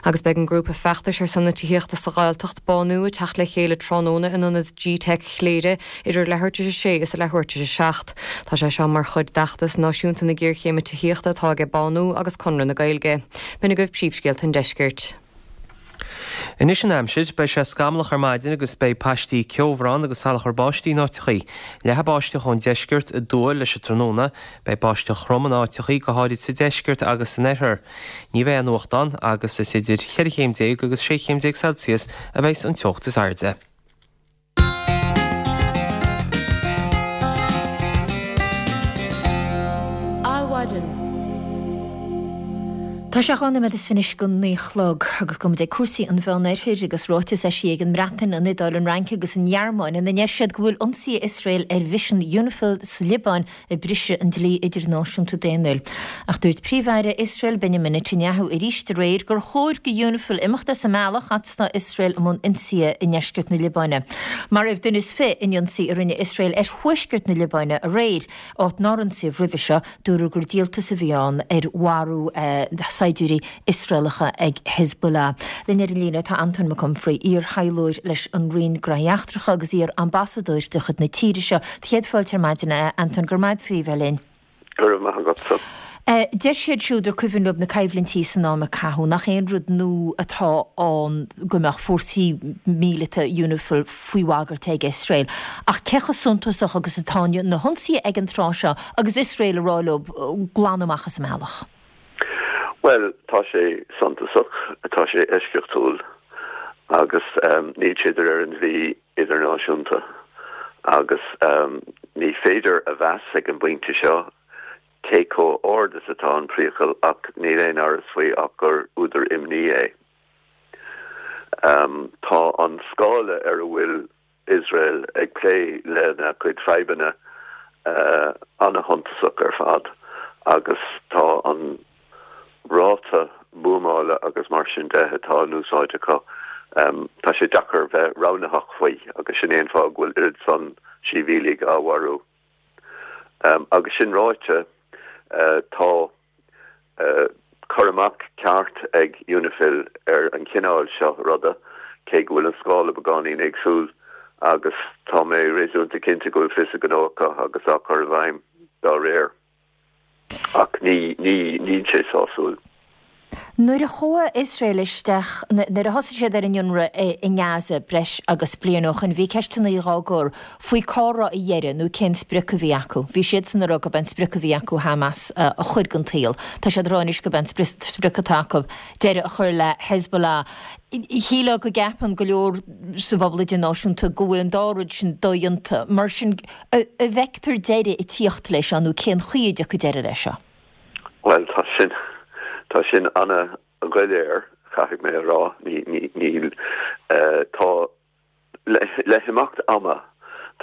Agus beidh an grúpa feachtais ar son na tithíochta sa Ghaeltacht, Bánú, ag teacht le chéile tráthnóna in ionad G-Teic Chléire idir leathuair tar éis a sé is a leathuair tar éis a seacht. Tá sé seo mar chuid d'fheachtas náisiúnta na géarchéime tithíochta atá aige Bánú agus Conradh na Gaeilge. B'in agaibh príomhscéalta an deiscirt. Anois an aimsir, beidh sé scamallach ar maidin agus beidh paistí ceobhrán agus salachar báistí in áiteachaí. Leathfaidh báisteach ón deisceart aduaidh leis an tráthnóna. Beidh báisteach throm in áiteachaí, go háirid sa deisceart agus san oirthear. Ní bheidh aon fhuacht ann agus is idir cheithre chéim déag agus sé chéim déag Celsius a bheas an teocht is airde. Adhmhaidin. Tá sé dhá nóiméad is fiche anois go naoi a chlog agus gabhfaidh muid ag cúrsaí an Mheánoirthir agus ráiteas eisithe ag an mBreatain, an Iodáil, an Fhrainc agus an Ghearmáin ina ndeir siad go bhfuil ionsaithe Iosrael ar mhisean Unifil sa Liobáin ag briseadh an dlí idirnáisiúnta daonnúil. Ach dúirt Príomh-Aire Iosrael Benjamin Netanyahu arís aréir gur chóir go Unifil imeacht as an mbealach fhad is atá Iosrael i mbun ionsaithe i ndeisceart na Liobáine. Maraíodh duine is fiche in ionsaí a rinne Iosrael ar thuaisceart na Liobáine aréir, áit nár ionsaíodh roimhe seo. Dúradh gur díoltas a bhí ann ar mharú saighdiúirí Iosraelacha ag Hezbollah. Linn ar an líne tá Antóin Mac Unfraidh, iar-thaidhleoir leis an Roinn Gnóthaí Eachtracha agus iar-ambasadóir de chuid na tíre seo. Céad fáilte ar maidin, a Antóin, go raibh maith agat faoi bheith linn. Go raibh maith agatsa. Deir siad siúd ar cuimhin leo na coimhlintí san am a caitheadh nach aon rud nua atá ann go mbeadh fórsaí míleata Unifil faoi bhagairt ag Iosrael. Ach cé chomh suntasach agus atá na hionsaithe ag an tráth seo agus Iosrael ag rá leo glanadh amach as a mbealach? Bhuel, tá sé suntasach, tá sé eisceachtúil agus níl sé de réir an dlí idirnáisiúnta agus ní féidir a mheas ag an bpointe seo cé chomh ard is atá an priacal ach níl aon amhras faoi ach gur údar imní é. Tá an scála ar a bhfuil Iosrael ag plé lena cuid fadhbanna an-shuntasach ar fad agus tá an ráta buamála agus mar sin de atá in úsáid acu, tá sé deacair bheith roghnaitheach faoi agus sin é an fáth go bhfuil oiread san sibhialaigh á mharú. Agus sin ráite, tá cur amach ceart ag Unifil ar an chineál seo ruda, cé go bhfuil an scála beagáinín éagsúil, agus tá mé réasúnta cinnte go bhfuil fios a ngnó acu agus á chur i bhfeidhm dá réir. Ach ní, ní, níl sé sásúil. Nuair a chuaigh Iosrael isteach, nuair a thosaigh siad ar an ionradh i nGaza breis agus bliain ó shoin, bhí ceisteanna dhá gcur faoi cá raibh a dheireadh nó cén sprioc a bhí acu. Bhí siadsan ag rá gurb é an sprioc a bhí acu Hamas a chur den tsaol. Tá siad ag rá anois gurb é an sprioc atá acu deireadh a chur le Hezbollah. Shílfeá go gceapann go leor sa bpobal idirnáisiúnta go bhfuil an dá rud sin dodhéanta. Mar sin, an bhfeictear deireadh ag tíocht leis seo nó cén chaoi a dtiocfaidh deireadh leis seo? Bhuel, tá sin, tá sin ana-dhoiléir, caithfidh mé a rá. Ní, ní, níl, tá, le, le himeacht ama,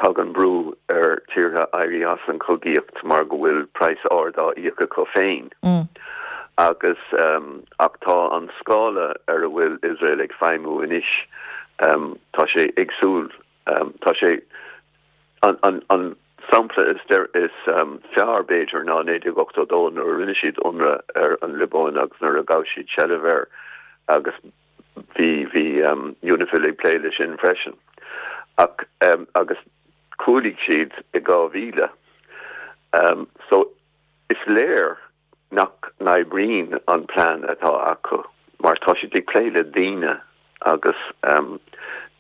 tagann brú ar tíortha éirí as an chogaíocht mar go bhfuil praghas ard á íoc acu féin. Agus, ach tá an scála ar a bhfuil Iosrael ag feidhmiú anois, tá sé éagsúil, tá sé, An sampla is fearr, b'fhéidir, ná naoi déag ochtó dó nuair a rinne siad ionradh ar an Liobáin agus nuair a ghabh siad seilbh air agus bhí bhí Unifil ag plé leis sin freisin. Ach agus chúlaigh siad i dhá mhíle. So is léir nach n-oibríonn an plean atá acu mar tá siad ag plé le daoine agus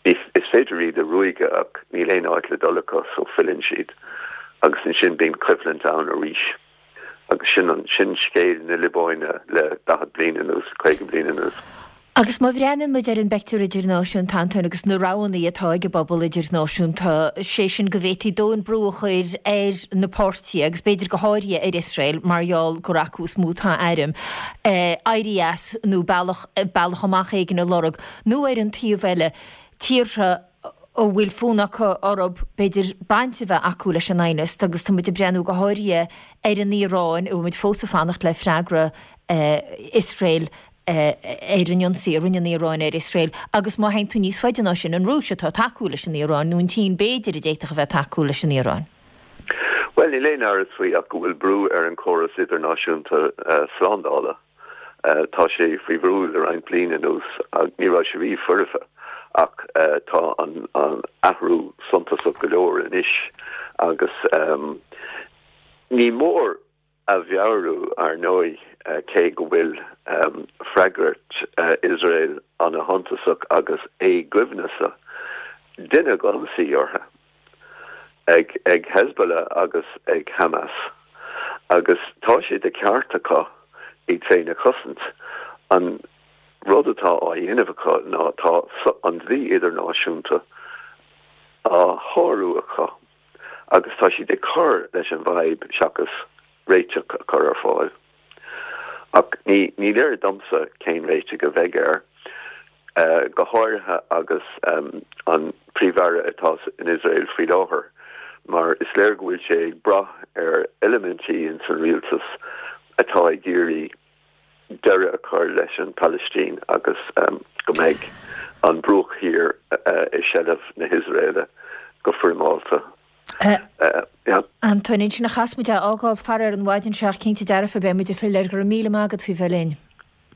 is féidir iad a ruaigeadh ach níl aon áit le dul acu so filleann siad agus ansin bíonn coimhlint ann arís agus sin an sin scéal na Liobáine le daichead bliain anuas, caoga bliain anuas. Agus má bhreathnaíonn muid ar an bpeictiúr idirnáisiúnta, Antóin, agus na roghanna atá ag an bpobal idirnáisiúnta, sé sin go bhféadfaí dóthain brú a chur ar na páirtithe, agus b'fhéidir go háirithe ar Iosrael, mar gheall gur acu is mó atá airm, éirí as nó bealach, bealach amach éigin a lorg, nó ar an taobh eile, tíortha a bhfuil fonn acu orthu, b'fhéidir, baint a bheith acu leis an aighneas, agus tá muid ag breathnú go háirithe ar an Iaráin, a bhfuil muid fós ag fanacht le freagra Iosrael ar an ionsaí a rinne an Iaráin ar Iosrael, agus má théann tú níos faide ná sin, an Rúis atá ag tacú leis an Iaráin, nó an tSín b'fhéidir a d'fhéadfadh a bheith ag tacú leis an Iaráin. Bhuel, níl aon amhras faoi ach go bhfuil brú ar an chóras idirnáisiúnta slándála. Tá sé faoi bhrú le roinnt bliain anuas. Ní raibh sé riamh foirfe ach tá an athrú suntasach go leor anois agus ní mór a mheabhrú, ar ndóigh, cé go bhfuil freagairt Iosrael ana-shuntasach agus éagoibhneasach, deineadh ionsaí orthu ag ag Hezbollah agus ag Hamas agus tá sé de cheart acu iad féin a chosaint. An rud atá á dhéanamh acu ná tá an dlí idirnáisiúnta á shárú acu agus tá siad ag cur leis an bhfadhb seachas réiteach a chur ar fáil. Ach ní ní léir domsa cén réiteach a bheidh air, go háirithe agus an Príomh-Aire atá in Iosrael faoi láthair, mar is léir go bhfuil sé ag brath ar eilimintí ins an rialtas atá ag iarraidh deireadh a chur leis an Phalaistín agus go mbeidh an Bruach Thiar i seilbh na hIosraeile go foirmeálta. Antóin, ansin a chaithfeas muid é a fhágáil faraor an mhaidin seo ach cinnte dearfa beidh muid ag filleadh air. Go raibh míle maith agat faoi bheith linn.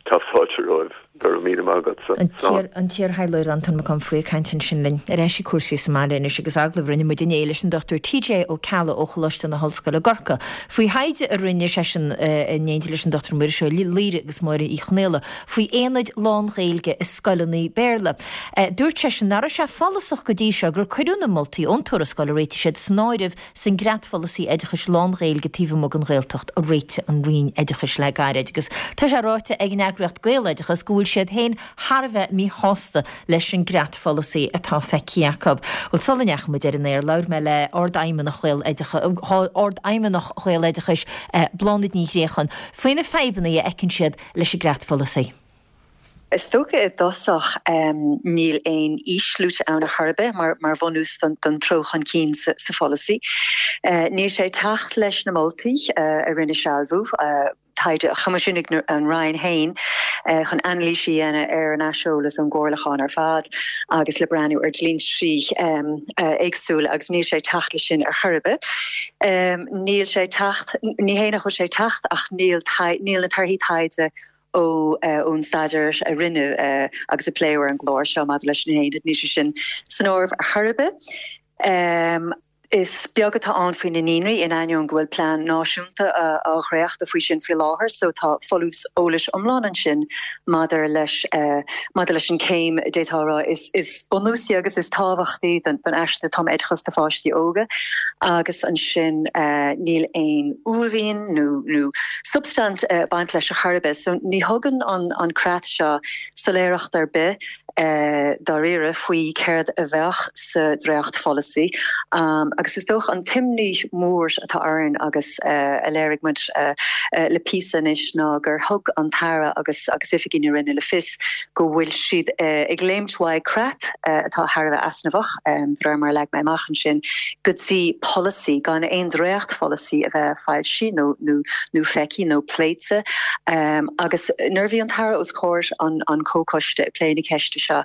Tá fáilte romhaibh. Go raibh míle maith agatsa. An t-iarthaidhleoir Antóin Mac Unfraidh ag caint ansin linn. Ar ais ag cúrsaí sa mbaile anois agus agallamh a rinne muid inné leis an Dochtúir T J Ó Ceallaigh ó Choláiste na hOllscoile i gCorcaigh faoi thaighde a rinne seisean in éindí leis an Dochtúir Muiris Ó Laoire agus Máire Uí Chonaola faoi aonaid lán-Ghaeilge i scoileanna Béarla. Dúirt seisean nach raibh sé follasach go dtí seo gur cuireadh na moltaí ón tuarascáil a réitigh siad san áireamh san gcreatpholasaí oideachais lán-Ghaeilge taobh amuigh den Ghaeltacht a réitigh an Roinn Oideachais le gairid. Agus tá sé ráite ag an eagraíocht Gaeloideachas go bhfuil siad féin thar a bheith míshásta leis an gcreatpholasaí atá feicthe acu. Bhuel sula ndeachaigh muid ar an aer labhair mé le Ardfheidhmeannach Ardfheidhmeannach Ghaeloideachais Bláthnaid Ní Ghréacháin faoi na fadhbanna a fheiceann siad leis an gcreatpholasaí. Is dócha i dtosach um, níl aon fhís luaite ann ar chor ar bith mar, mar bhunús don, don treo chun cinn sa, sa pholasaí. Uh, níl sé ag teacht leis na moltaí uh, a rinne Sealbhú uh, taighde a choimisiúnaigh an Roinn féin uh, chun anailís a dhéanamh ar an aiseolas ón gcomhairliúchán ar fad agus le breathnú ar dhlínsí um, uh, éagsúla agus níl sé ag teacht leis sin ar chor ar bith. Um, níl sé ag teacht ní hé nach bhfuil sé ag teacht ach níl níl na torthaí taighde ó uh, ón staidéar a rinneadh uh, agus a pléadh ar an gclár seo maidir leis na haonaid níl sé sin san áireamh ar chor ar bith. Um, Is beag atá ann faoi na naíonraí in ainneoin go bhfuil plean náisiúnta á dhréachtú faoi sin faoi láthair, so tá folús eolais iomlán ansin maidir leis uh, maidir leis an céim détará is is bunúsaí agus is tábhachtaí don don aistear tumoideachais do pháistí óga agus ansin uh, níl aon uaillmhian nó nó substaint uh, baint leis ar chor ar bith, so ní thugann an an creat seo soiléireacht ar bith uh, dáiríre faoi céard a bheadh sa dréachtpholasaí. Um, agus is dócha an t-imní mór atá orainn agus uh, a léirigh muid uh, uh, le píosa anois ná gur thug an tAire agus agus oifigigh na Roinne le fios go bhfuil siad uh, ag léimt uaidh creat uh, atá thar a bheith easnamhach um, de mar leag mé amach ansin go dtí polasaí gan aon dréachtpholasaí a bheith foilsithe nó nó nó feicthe nó pléite um, agus nuair a bhí an tAire os comhair an an comhchoiste ag plé na ceiste seo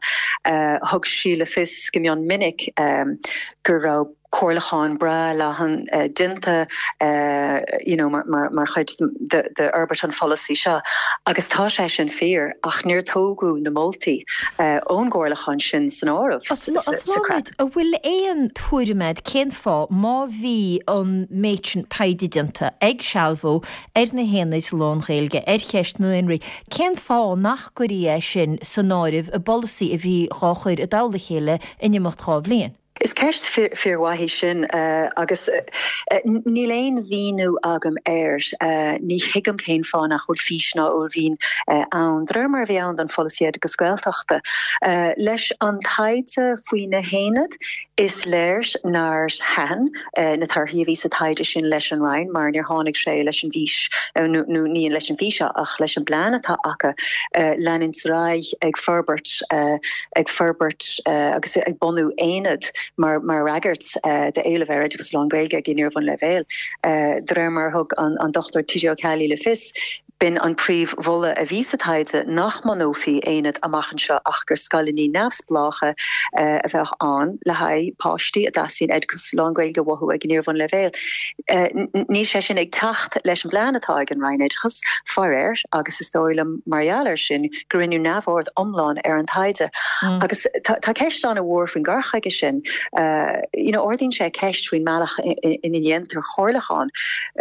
uh, thug sí le fios go mion minic um, go raibh comhairliúchán breá leathan uh, déanta uh, you know, mar, mar, mar chuid de, de fhorbairt an pholasaí seo. Agus tá sé sin fíor ach níor tógadh na moltaí uh, ón gcomhairliúchán sin san áireamh. An bhfuil aon tuairim agat cén fáth má bhí an méid sin taighde déanta ag Sealbhú ar na haonaid lán-Ghaeilge ar cheist na naíonraí. Cén fáth nach gcuireadh é sin san áireamh i bpolasaí a bhí á chur i dtoll a chéile in imeacht dhá bhliain. Is ceist fíormhaith í sin uh, agus uh, níl aon mhíniú agam air uh, ní thuigim cén fáth nach bhfuil fís ná uaillmhian uh, ann de réir mar a bhí ann don pholasaí oideachais Gaeltachta. Uh, leis an taighde faoi na haonaid is léir nár thaitin uh, na torthaí a bhí sa taighde sin leis an Roinn mar níor tháinig sé leis an bhfís uh, nó ní leis an bhfís ach leis an bplean atá acu uh, leanúint ar aghaidh ag forbairt uh, ag forbairt uh, agus ag bunú aonad mar mar fhreagairt uh, d'éileamh ar oideachas lán-Ghaeilge ag an iarbhunleibhéal. Uh, de réir mar thug an, an Dochtúir T J Ó Ceallaigh le fios, b'in an príomh-mholadh a bhí sa taighde nach mbunófaí aonad amach anseo ach gur scoileanna neamhspleácha uh, a bheadh ann le haghaidh páistí a dteastaíonn oideachas lán-Ghaeilge uathu ag an iarbhunleibhéal. Uh, níl sé sin ag teacht leis an bplean atá ag an Roinn Oideachais faraor agus is dóigh liom mar gheall air sin gur rinneadh neamhaird iomlán ar an taighde. Mm. Agus tá ceist an-mhór faoin gcur chuige sin uh, you know, ardaíonn sé ceist faoin mbealach ina ndéantar comhairliúchán.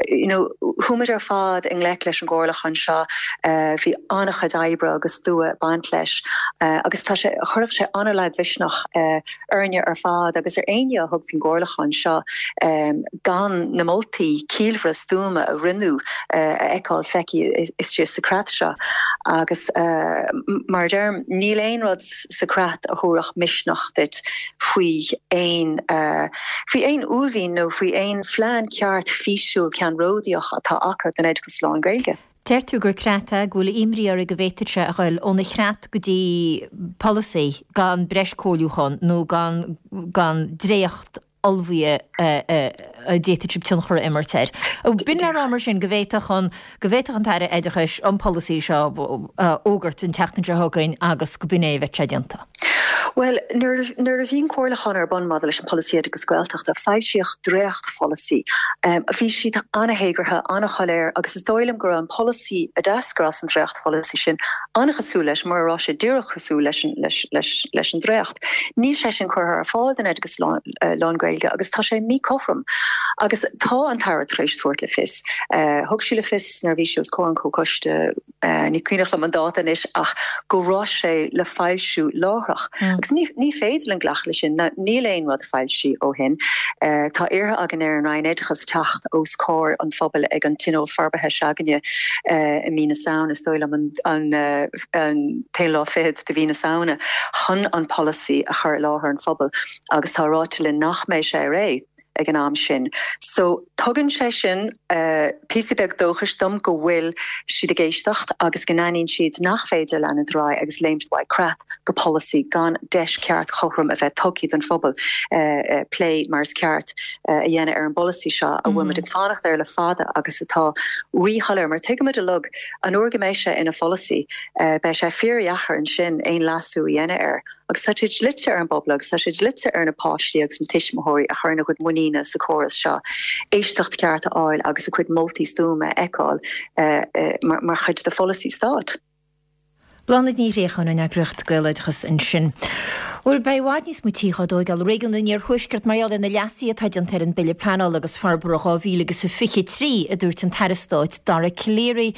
You know, chuaigh muid ar fad i ngleic leis an gcomhairliúchán seo uh, bhí an-chuid oibre agus dua ag baint leis uh, agus tá sé chuirfeadh sé an-lagmhisneach uh, orainne ar fad agus ar éinne a thug faoin gcomhairliúchán seo um, gan na moltaí ciallmhara stuama a rinneadh uh, a fheiceáil feicthe istigh sa chreat seo agus uh, mar deirim níl aon rud sa chreat a thabharfadh misneach duit faoi aon uh, faoi aon uaillmhian nó faoi aon phlean ceart físiúil ceannródaíoch atá acu don oideachas lán-Ghaeilge. Deir tú gur creat é go bhfuil imní oraibh go bhféadfadh sé a ghoil óna chreat go dtí polasaí gan breis comhairliúchán nó gan gan dréacht ullmhaithe a d'fhéadfadh sibh tionchar a imirt air. B'in le rá mar sin go bhféadfadh an go bhféadfadh an tAire Oideachais an polasaí seo a fhógairt an tseachtain seo chugainn agus go b'in é a bheadh sé déanta. Well, nuair nuair a bhí an comhairliúchán ar bun maidir leis an polasaí oideachas Gaeltachta, foilsíodh dréachtpholasaí. Um, bhí siad an-théagartha, an-shoiléir agus is dóigh liom go raibh an polasaí a d'eascair as an dréachtpholasaí sin an-chosúil leis mura raibh sé díreach cosúil leis an, leis, leis, leis an dréacht. Níl sé sin curtha ar fáil den oideachas lán, uh, lán-Ghaeilge agus tá sé míchothrom. Agus tá an tAire tar éis tabhairt le fios. Uh, thug sí le fios nuair a bhí sí os comhair an chomhchoiste uh, ní cuimhin liom an dáta anois ach go raibh sé le foilsiú láithreach. Mm. Agus ní, ní féidir linn glacadh leis sin níl aon rud foilsithe ó shin. Uh, tá iarrtha againn ar an Roinn Oideachais teacht os comhair an phobail ag an Tionól Forbartha s'againne uh, i mí na Samhna is dóigh liom an, an, uh, an t-aon lá fichead de mhí na Samhna chun an polasaí a chur i láthair an phobail agus tá ráite linn nach mbeidh sé réidh ag an am sin. So tugann sé sin uh, píosa beag dóchais dom go bhfuil siad ag éisteacht agus go n-aithníonn siad nach féidir leanúint ar aghaidh agus léimt ó creat go polasaí gan deis ceart chothrom a bheith tugtha don phobal uh, uh, plé mar is ceart uh, a dhéanamh ar an bpolasaí seo a bhfuil muid ag fanacht air le fada agus atá ríshoiléir mar tuigimid uilig an uair go mbeidh sé ina pholasaí uh, beidh sé fíordheacair ansin aon leasú a dhéanamh air. Agus tá sé dlite ar an bpobal agus tá sé dlite ar na páistí agus na tuismitheoirí a chuireann a gcuid muiníne sa chóras seo. Éisteacht ceart a fháil agus a gcuid moltaí stuama a fheiceáil uh, uh, mar, mar chuid de pholasaí stáit. Bláthnaid Ní Ghréacháin ón eagraíocht Gaeloideachas ansin. Bhuel beidh i bhfad níos mó tithe á dtógáil i réigiún an Iarthuaiscirt mar gheall ar na leasuithe atá déanta ar an Bille Pleanála agus Forbartha dhá mhíle agus a fiche trí a dúirt an tAire Stáit Dara Calleary.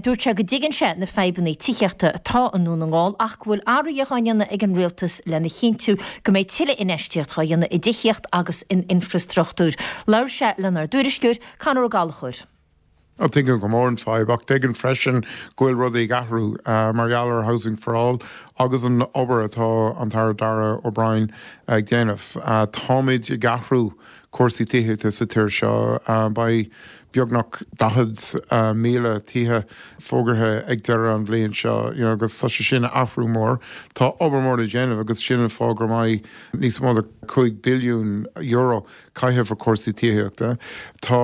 Dúirt sé go dtuigeann sé na fadhbanna tithíochta atá i nDún na nGall ach go bhfuil athruithe á ndéanamh ag an rialtas lena chinntiú go mbeidh tuilleadh infheistíocht á dhéanamh i dtithíocht agus in infrastruchtúr. Labhair sé lenár dtuairisceoir Conor Ó Gallchóir. Tuigim go mór an fadhb ach tuigim freisin go bhfuil rudaí ag athrú uh, mar gheall ar Housing for All agus an obair atá an tAire Darragh O'Brien ag déanamh. Uh, táimid ag athrú cúrsaí tithíochta sa tír seo uh, beidh beagnach daichead uh, míle tithe fógartha ag deireadh an bhliain seo you know, agus tá sé sin athrú mór Tá obair mór le déanamh agus sin an fáth go mbeidh níos mó ná cúig billiún euro caitheamh ar cúrsaí tithíochta. Tá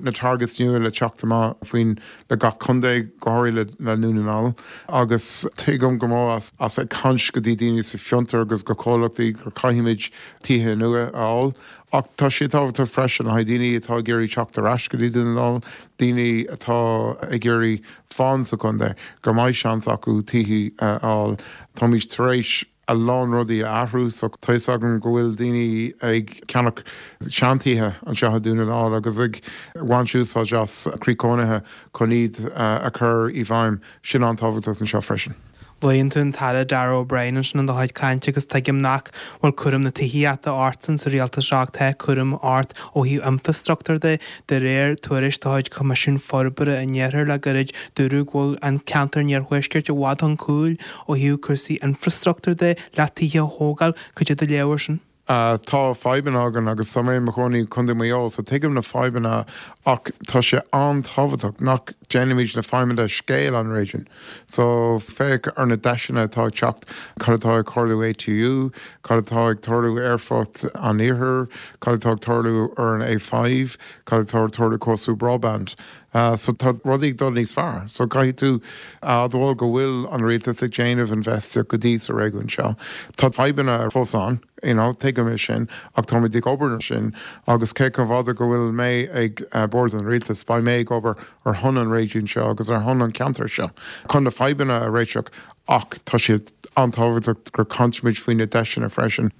na targets nua le teacht amach faoin le gach contae go háirithe le Dún na nGall agus tuigim go mór as, as ag caint go dtí daoine sa fiontar agus go comhlachtaí gur caithfimid tithe nua a fháil. Ach tá sé tábhachtach freisin le daoine atá ag iarraidh teacht ar ais go dtí Dún na nGall, daoine atá ag iarraidh fanacht sa chontae gur mbeidh seans acu tithe a fháil. Táimid tar éis a lán rudaí a athrú so tá agam go bhfuil daoine ag ceannach seantithe anseo i nDún na nGall agus ag baint úsáid as croí cónaithe chun iad a chur i bhfeidhm sin an-tábhachtach anseo freisin. Luann tú an tAire Darragh O'Brien ansin in do chuid cainte agus tuigim nach bhfuil cúram na tithíochta ortsa sa rialtas seo ach tá cúram ort ó thaobh infrastruchtúr de de réir tuairisc de chuid Coimisiún Forbartha an Iarthair le gairid dúradh go bhfuil an ceantar an Iarthuaiscirt i bhfad chun cúil ó thaobh cúrsaí infrastruchtúr de le tithe a thógáil cad é do léamh air sin. Uh, tá fadhbanna againn agus tá mé i mo chónaí i gContae Mhaigh Eo, so tuigim na fadhbanna ach tá sé an-tábhachtach nach ndéanaimid na fadhbanna scéal an réigiún. So féach ar na deiseanna atá ag teacht cad atá ag tarlú ATU, cad atá ag tarlú aerfort an Iarthair, cad atá ag tarlú ar an A five, cad atá ag tarlú córas broadband. Uh, so tá rudaí dul níos fearr. So caithfidh tú admháil go bhfuil an rialtas ag déanamh infheistíocht go dtí sa réigiún seo. Tá fadhbanna fós ann, you know, tuigim é sin ach táimid ag obair sin agus cé chomh fada go bhfuil mé ag uh, bord an rialtas, beidh mé ag obair ar son an réigiún seo agus ar son an ceantar seo. Chun na fadhbanna a réiteach ach tá siad an-tábhachtach gur caintimid faoi na deiseanna freisin.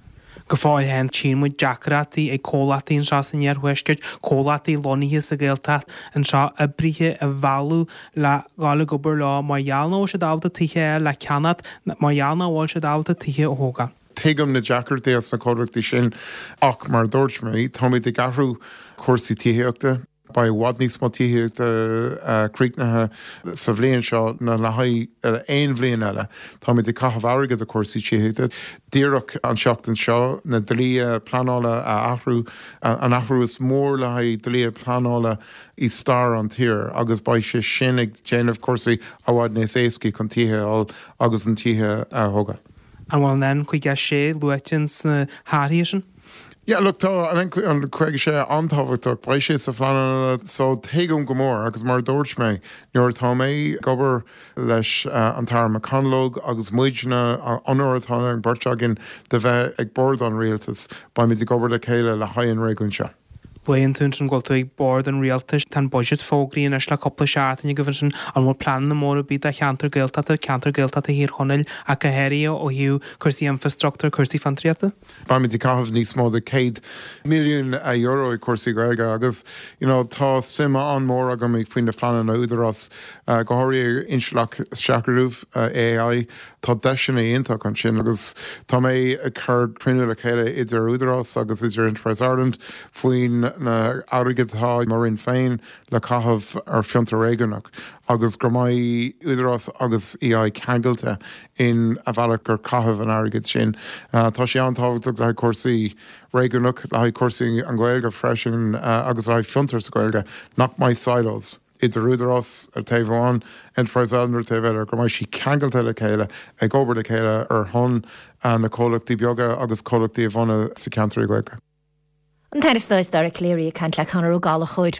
Go fóill féin tchíonn muid deacrachtaí ag comhlachtaí anseo san Iarthuaisceart, comhlachtaí lonnaithe sa Ghaeltacht anseo oibrithe a mhealladh le dhul ag obair leo mar gheall nach bhfuil siad ábalta tithe le ceannach mar gheall nach bhfuil siad ábalta tithe a thógáil. Tuigim na deacrachtaí as na comhlachtaí sin ach mar dúirt mé táimid ag athrú cúrsaí tithíochta. Beidh i bhfad níos mó tithíochta críochnaithe sa bhliain seo ná le haghaidh aon bhliain eile. Táimid ag caitheamh airgead ar cúrsaí tithíochta. Díreach an seachtain seo na dlíthe pleanála a athrú an athrú is mór le haghaidh dlíthe pleanála i stair an tír agus beidh sé sin ag déanamh cúrsaí i bhfad níos éasca chun tithe a fháil agus an tithe a thógáil. An bhfuil an N caoga sé luaite sna hathruithe sin? Yeah, look, tá an an caoga sé an-tábhachtach beidh sé sa phlean so tuigim go mór agus mar dúirt mé nuair atá mé ag obair leis uh, an tAire McConalogue agus muidne onóir atá an bheirt againn de bheith ag bord an rialtas beimid ag obair le chéile le haghaidh an réigiún seo. Luann tú ansin go bhfuil tú ag bord an rialtais tá an budget fógraithe anois le cúpla seachtain go sin an bhfuil pleananna móra ar bith do cheantar Gaeltachta ceantar Gaeltachta Thír Chonaill ach go háirithe ó thaobh cúrsaí infrastruchtúr cúrsaí fiontraíochta? Beimid ag caitheamh níos mó de céad milliún euro ag cúrsaí Gaeilge agus you know, tá suim an-mhór agam ag faoin na pleananna údarás uh, go háirithe intleacht shaorga uh, AI tá deiseanna iontach ansin agus tá mé ag cur cruinniú le chéile idir údarás agus idir Enterprise Ireland faoin na airgead atá mar Roinn féin le caitheamh ar fiontar réigiúnach agus go mbeidh údarás agus EI ceangailte in a bhealach gur caitheamh an airgead sin. Uh, tá sé an-tábhachtach le cúrsaí réigiúnach le haghaidh cúrsaí an Ghaeilge freisin uh, agus le haghaidh fiontar sa Ghaeilge nach mbeidh silos. Idir údarás ar taobh amháin Enterprise Ireland ar taobh eile go mbeidh sí ceangailte le chéile ag obair le chéile ar shon uh, na comhlachtaí beaga agus comhlachtaí a bhunú sa cheantar Gaeilge. An tAire Stáit Dara Calleary ag caint le Conor Ó Gallchóir.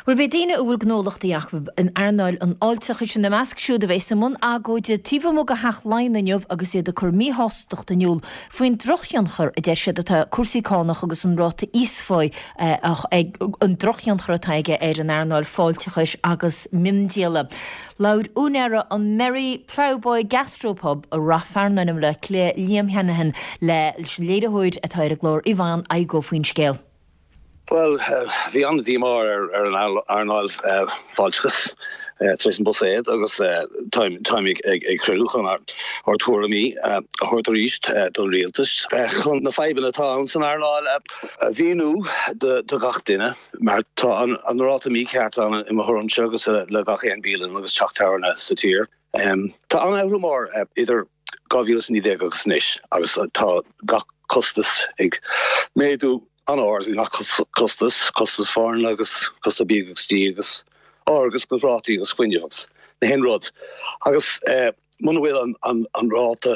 Bhuel beidh daoine a bhfuil gnólachtaí acu in earnáil an fháilteachais ina measc siúd a bheas i mbun agóide taobh amuigh de Theach Laighean inniu agus iad ag cur míshástacht in iúl faoin drochthionchar a deir siad atá cúrsaí cánach agus an ráta íosphá ag an drochthionchar atá aige ar an earnáil fáilteachais agus miondíola. Labhair úinéir an Merry Ploughboy Gastropub i Ráth Fearnáin i mBaile Átha Cliath Liam Heneghan le léiritheoir atá ar an gclár Yvonne Igoe faoin scéal. Well, bhí an-díomá ar ar an earnáil fáilteachas tar éis an buiséad agus táim ag cruinniú chun ár dtuairimí a thabhairt arís don rialtas chun na fadhbanna atá ann san earnáil a mhíniú do gach duine mar tá an ráta mícheart ann i mo thuairimse agus le gach aon bialann agus teach tábhairne sa tír. Tá an athrú mór idir dhá mhíle is naoi déag agus anois agus tá gach costas ag méadú an-ard gach costas, costas foirne agus costas bia agus dí agus agus go rátaí agus fuinneamh agus na haon rud. Agus muna bhfuil an, an, an ráta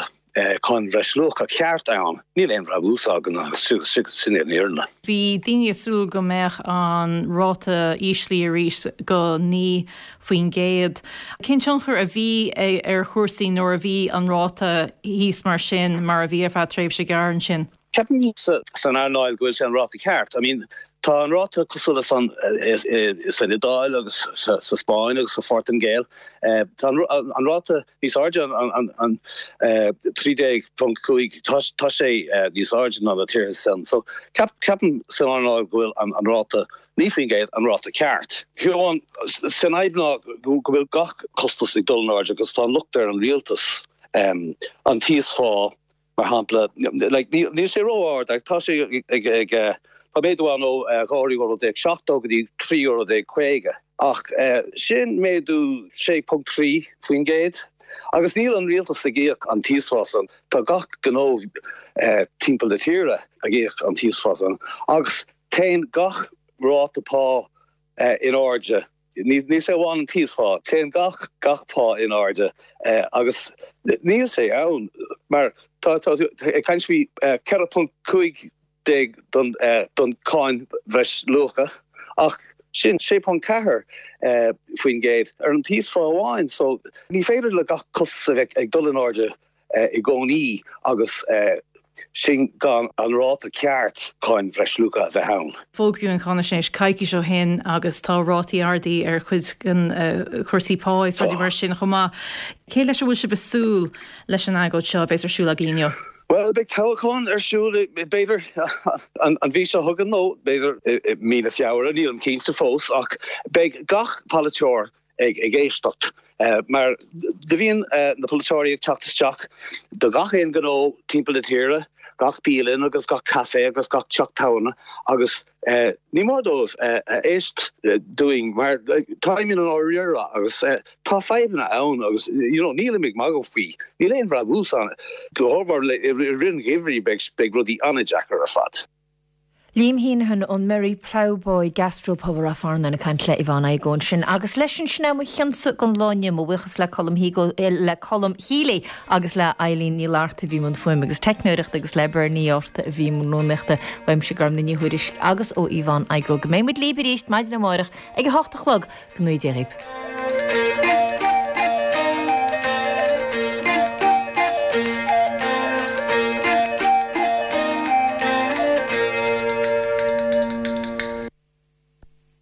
cáin bhreisluacha ceart ann, níl aon bhrabús againn agus sin é an fhírinne. Bhí daoine ag súil go mbeadh an ráta íslithe arís go naoi faoin gcéad. Cén tionchar a bhí ar chúrsaí nuair a bhí an ráta thíos mar sin mar a bhí ar feadh tréimhse gearr ansin? Ceapaim san earnáil go bhfuil sé an ráta ceart. I mean, tá an ráta cosúil leis an san Iodáil agus sa Spáinn agus sa Phortaingéil. Tá an ráta níos airde an trí déag ponc cúig tá sé níos airde ná na tíortha sin. So ceapaim san earnáil go bhfuil an ráta naoi faoin gcéad an ráta ceart. Fiú amháin san fhadhb ná go bhfuil gach costas ag dul in airde agus tá an locht ar an rialtas an t-íosphá mar shampla like níl sé ró-ard ach tá sé ag ag tá méadú ann ó dhá euro déag seachtó go dtí trí euro déag caoga ach sin méadú sé ponc trí faoin gcéad agus níl an rialtas ag íoc an t-íosphá san tá gach gnó timpeall na tíre ag íoc an t-íosphá san agus téann gach ráta pá in airde. Ní sé amháin an t-íosphá, téann gach gach pá in airde agus níl sé ann mar tá tá ag caint faoi ceithre ponc cúig déag don don cáin bhreisluacha ach sin sé ponc ceathair faoin gcéad ar an t-íosphá amháin so ní féidir le gach costas a bheith ag dul in airde i gcónaí agus sin gan an ráta ceart cáin bhreisluacha a bheith ann. Fógraíodh an cháinaisnéis coicís ó shin agus tá rátaí arda ar chuid den chúrsaí pá is rudaí mar sin chomh maith. Cé leis a bhfuil sibh ag súil leis an agóid seo a bheas ar siúl agaibh inniu? Well, beidh toghchán ar siúl b'fhéidir an mhí seo chugainn nó b'fhéidir i mí na Feabhra, nílim cinnte fós ach beidh gach polaiteoir ag ag éisteacht mar do bhíonn na polaiteoirí ag teacht isteach do gach aon ghnó timpeall na tíre, gach bialann agus gach caife agus gach teach tábhairne agus ní mór dóibh éist dúinn mar táimid i ndáiríre agus tá fadhbanna ann agus you know nílim ag magadh faoi, níl aon bhrabús ann. Go háirithe i rith an gheimhridh beidh rudaí an-deacair ar fad. Liam Heneghan ón Merry Ploughboy Gastropub i Ráth Fearnáin ag caint le Yvonne Igoe ansin. Agus leis sin sin é mo chionsa don lá inniu, mo bhuíochas le Colm Higo, le Colm Healy agus le Eileen Ní Fhlatharta a bhí i mbun fuaime agus teicneoireachta agus le Bernie Orta a bhí i mbun rúnaíochta. Uaimse Gormfhlaith Ní Thuairisg agus ó Yvonne Igoe. Go mbeidh muid libh arís maidin amárach ag a hocht a chlog. Go ngnóthaí Dia dhaoibh.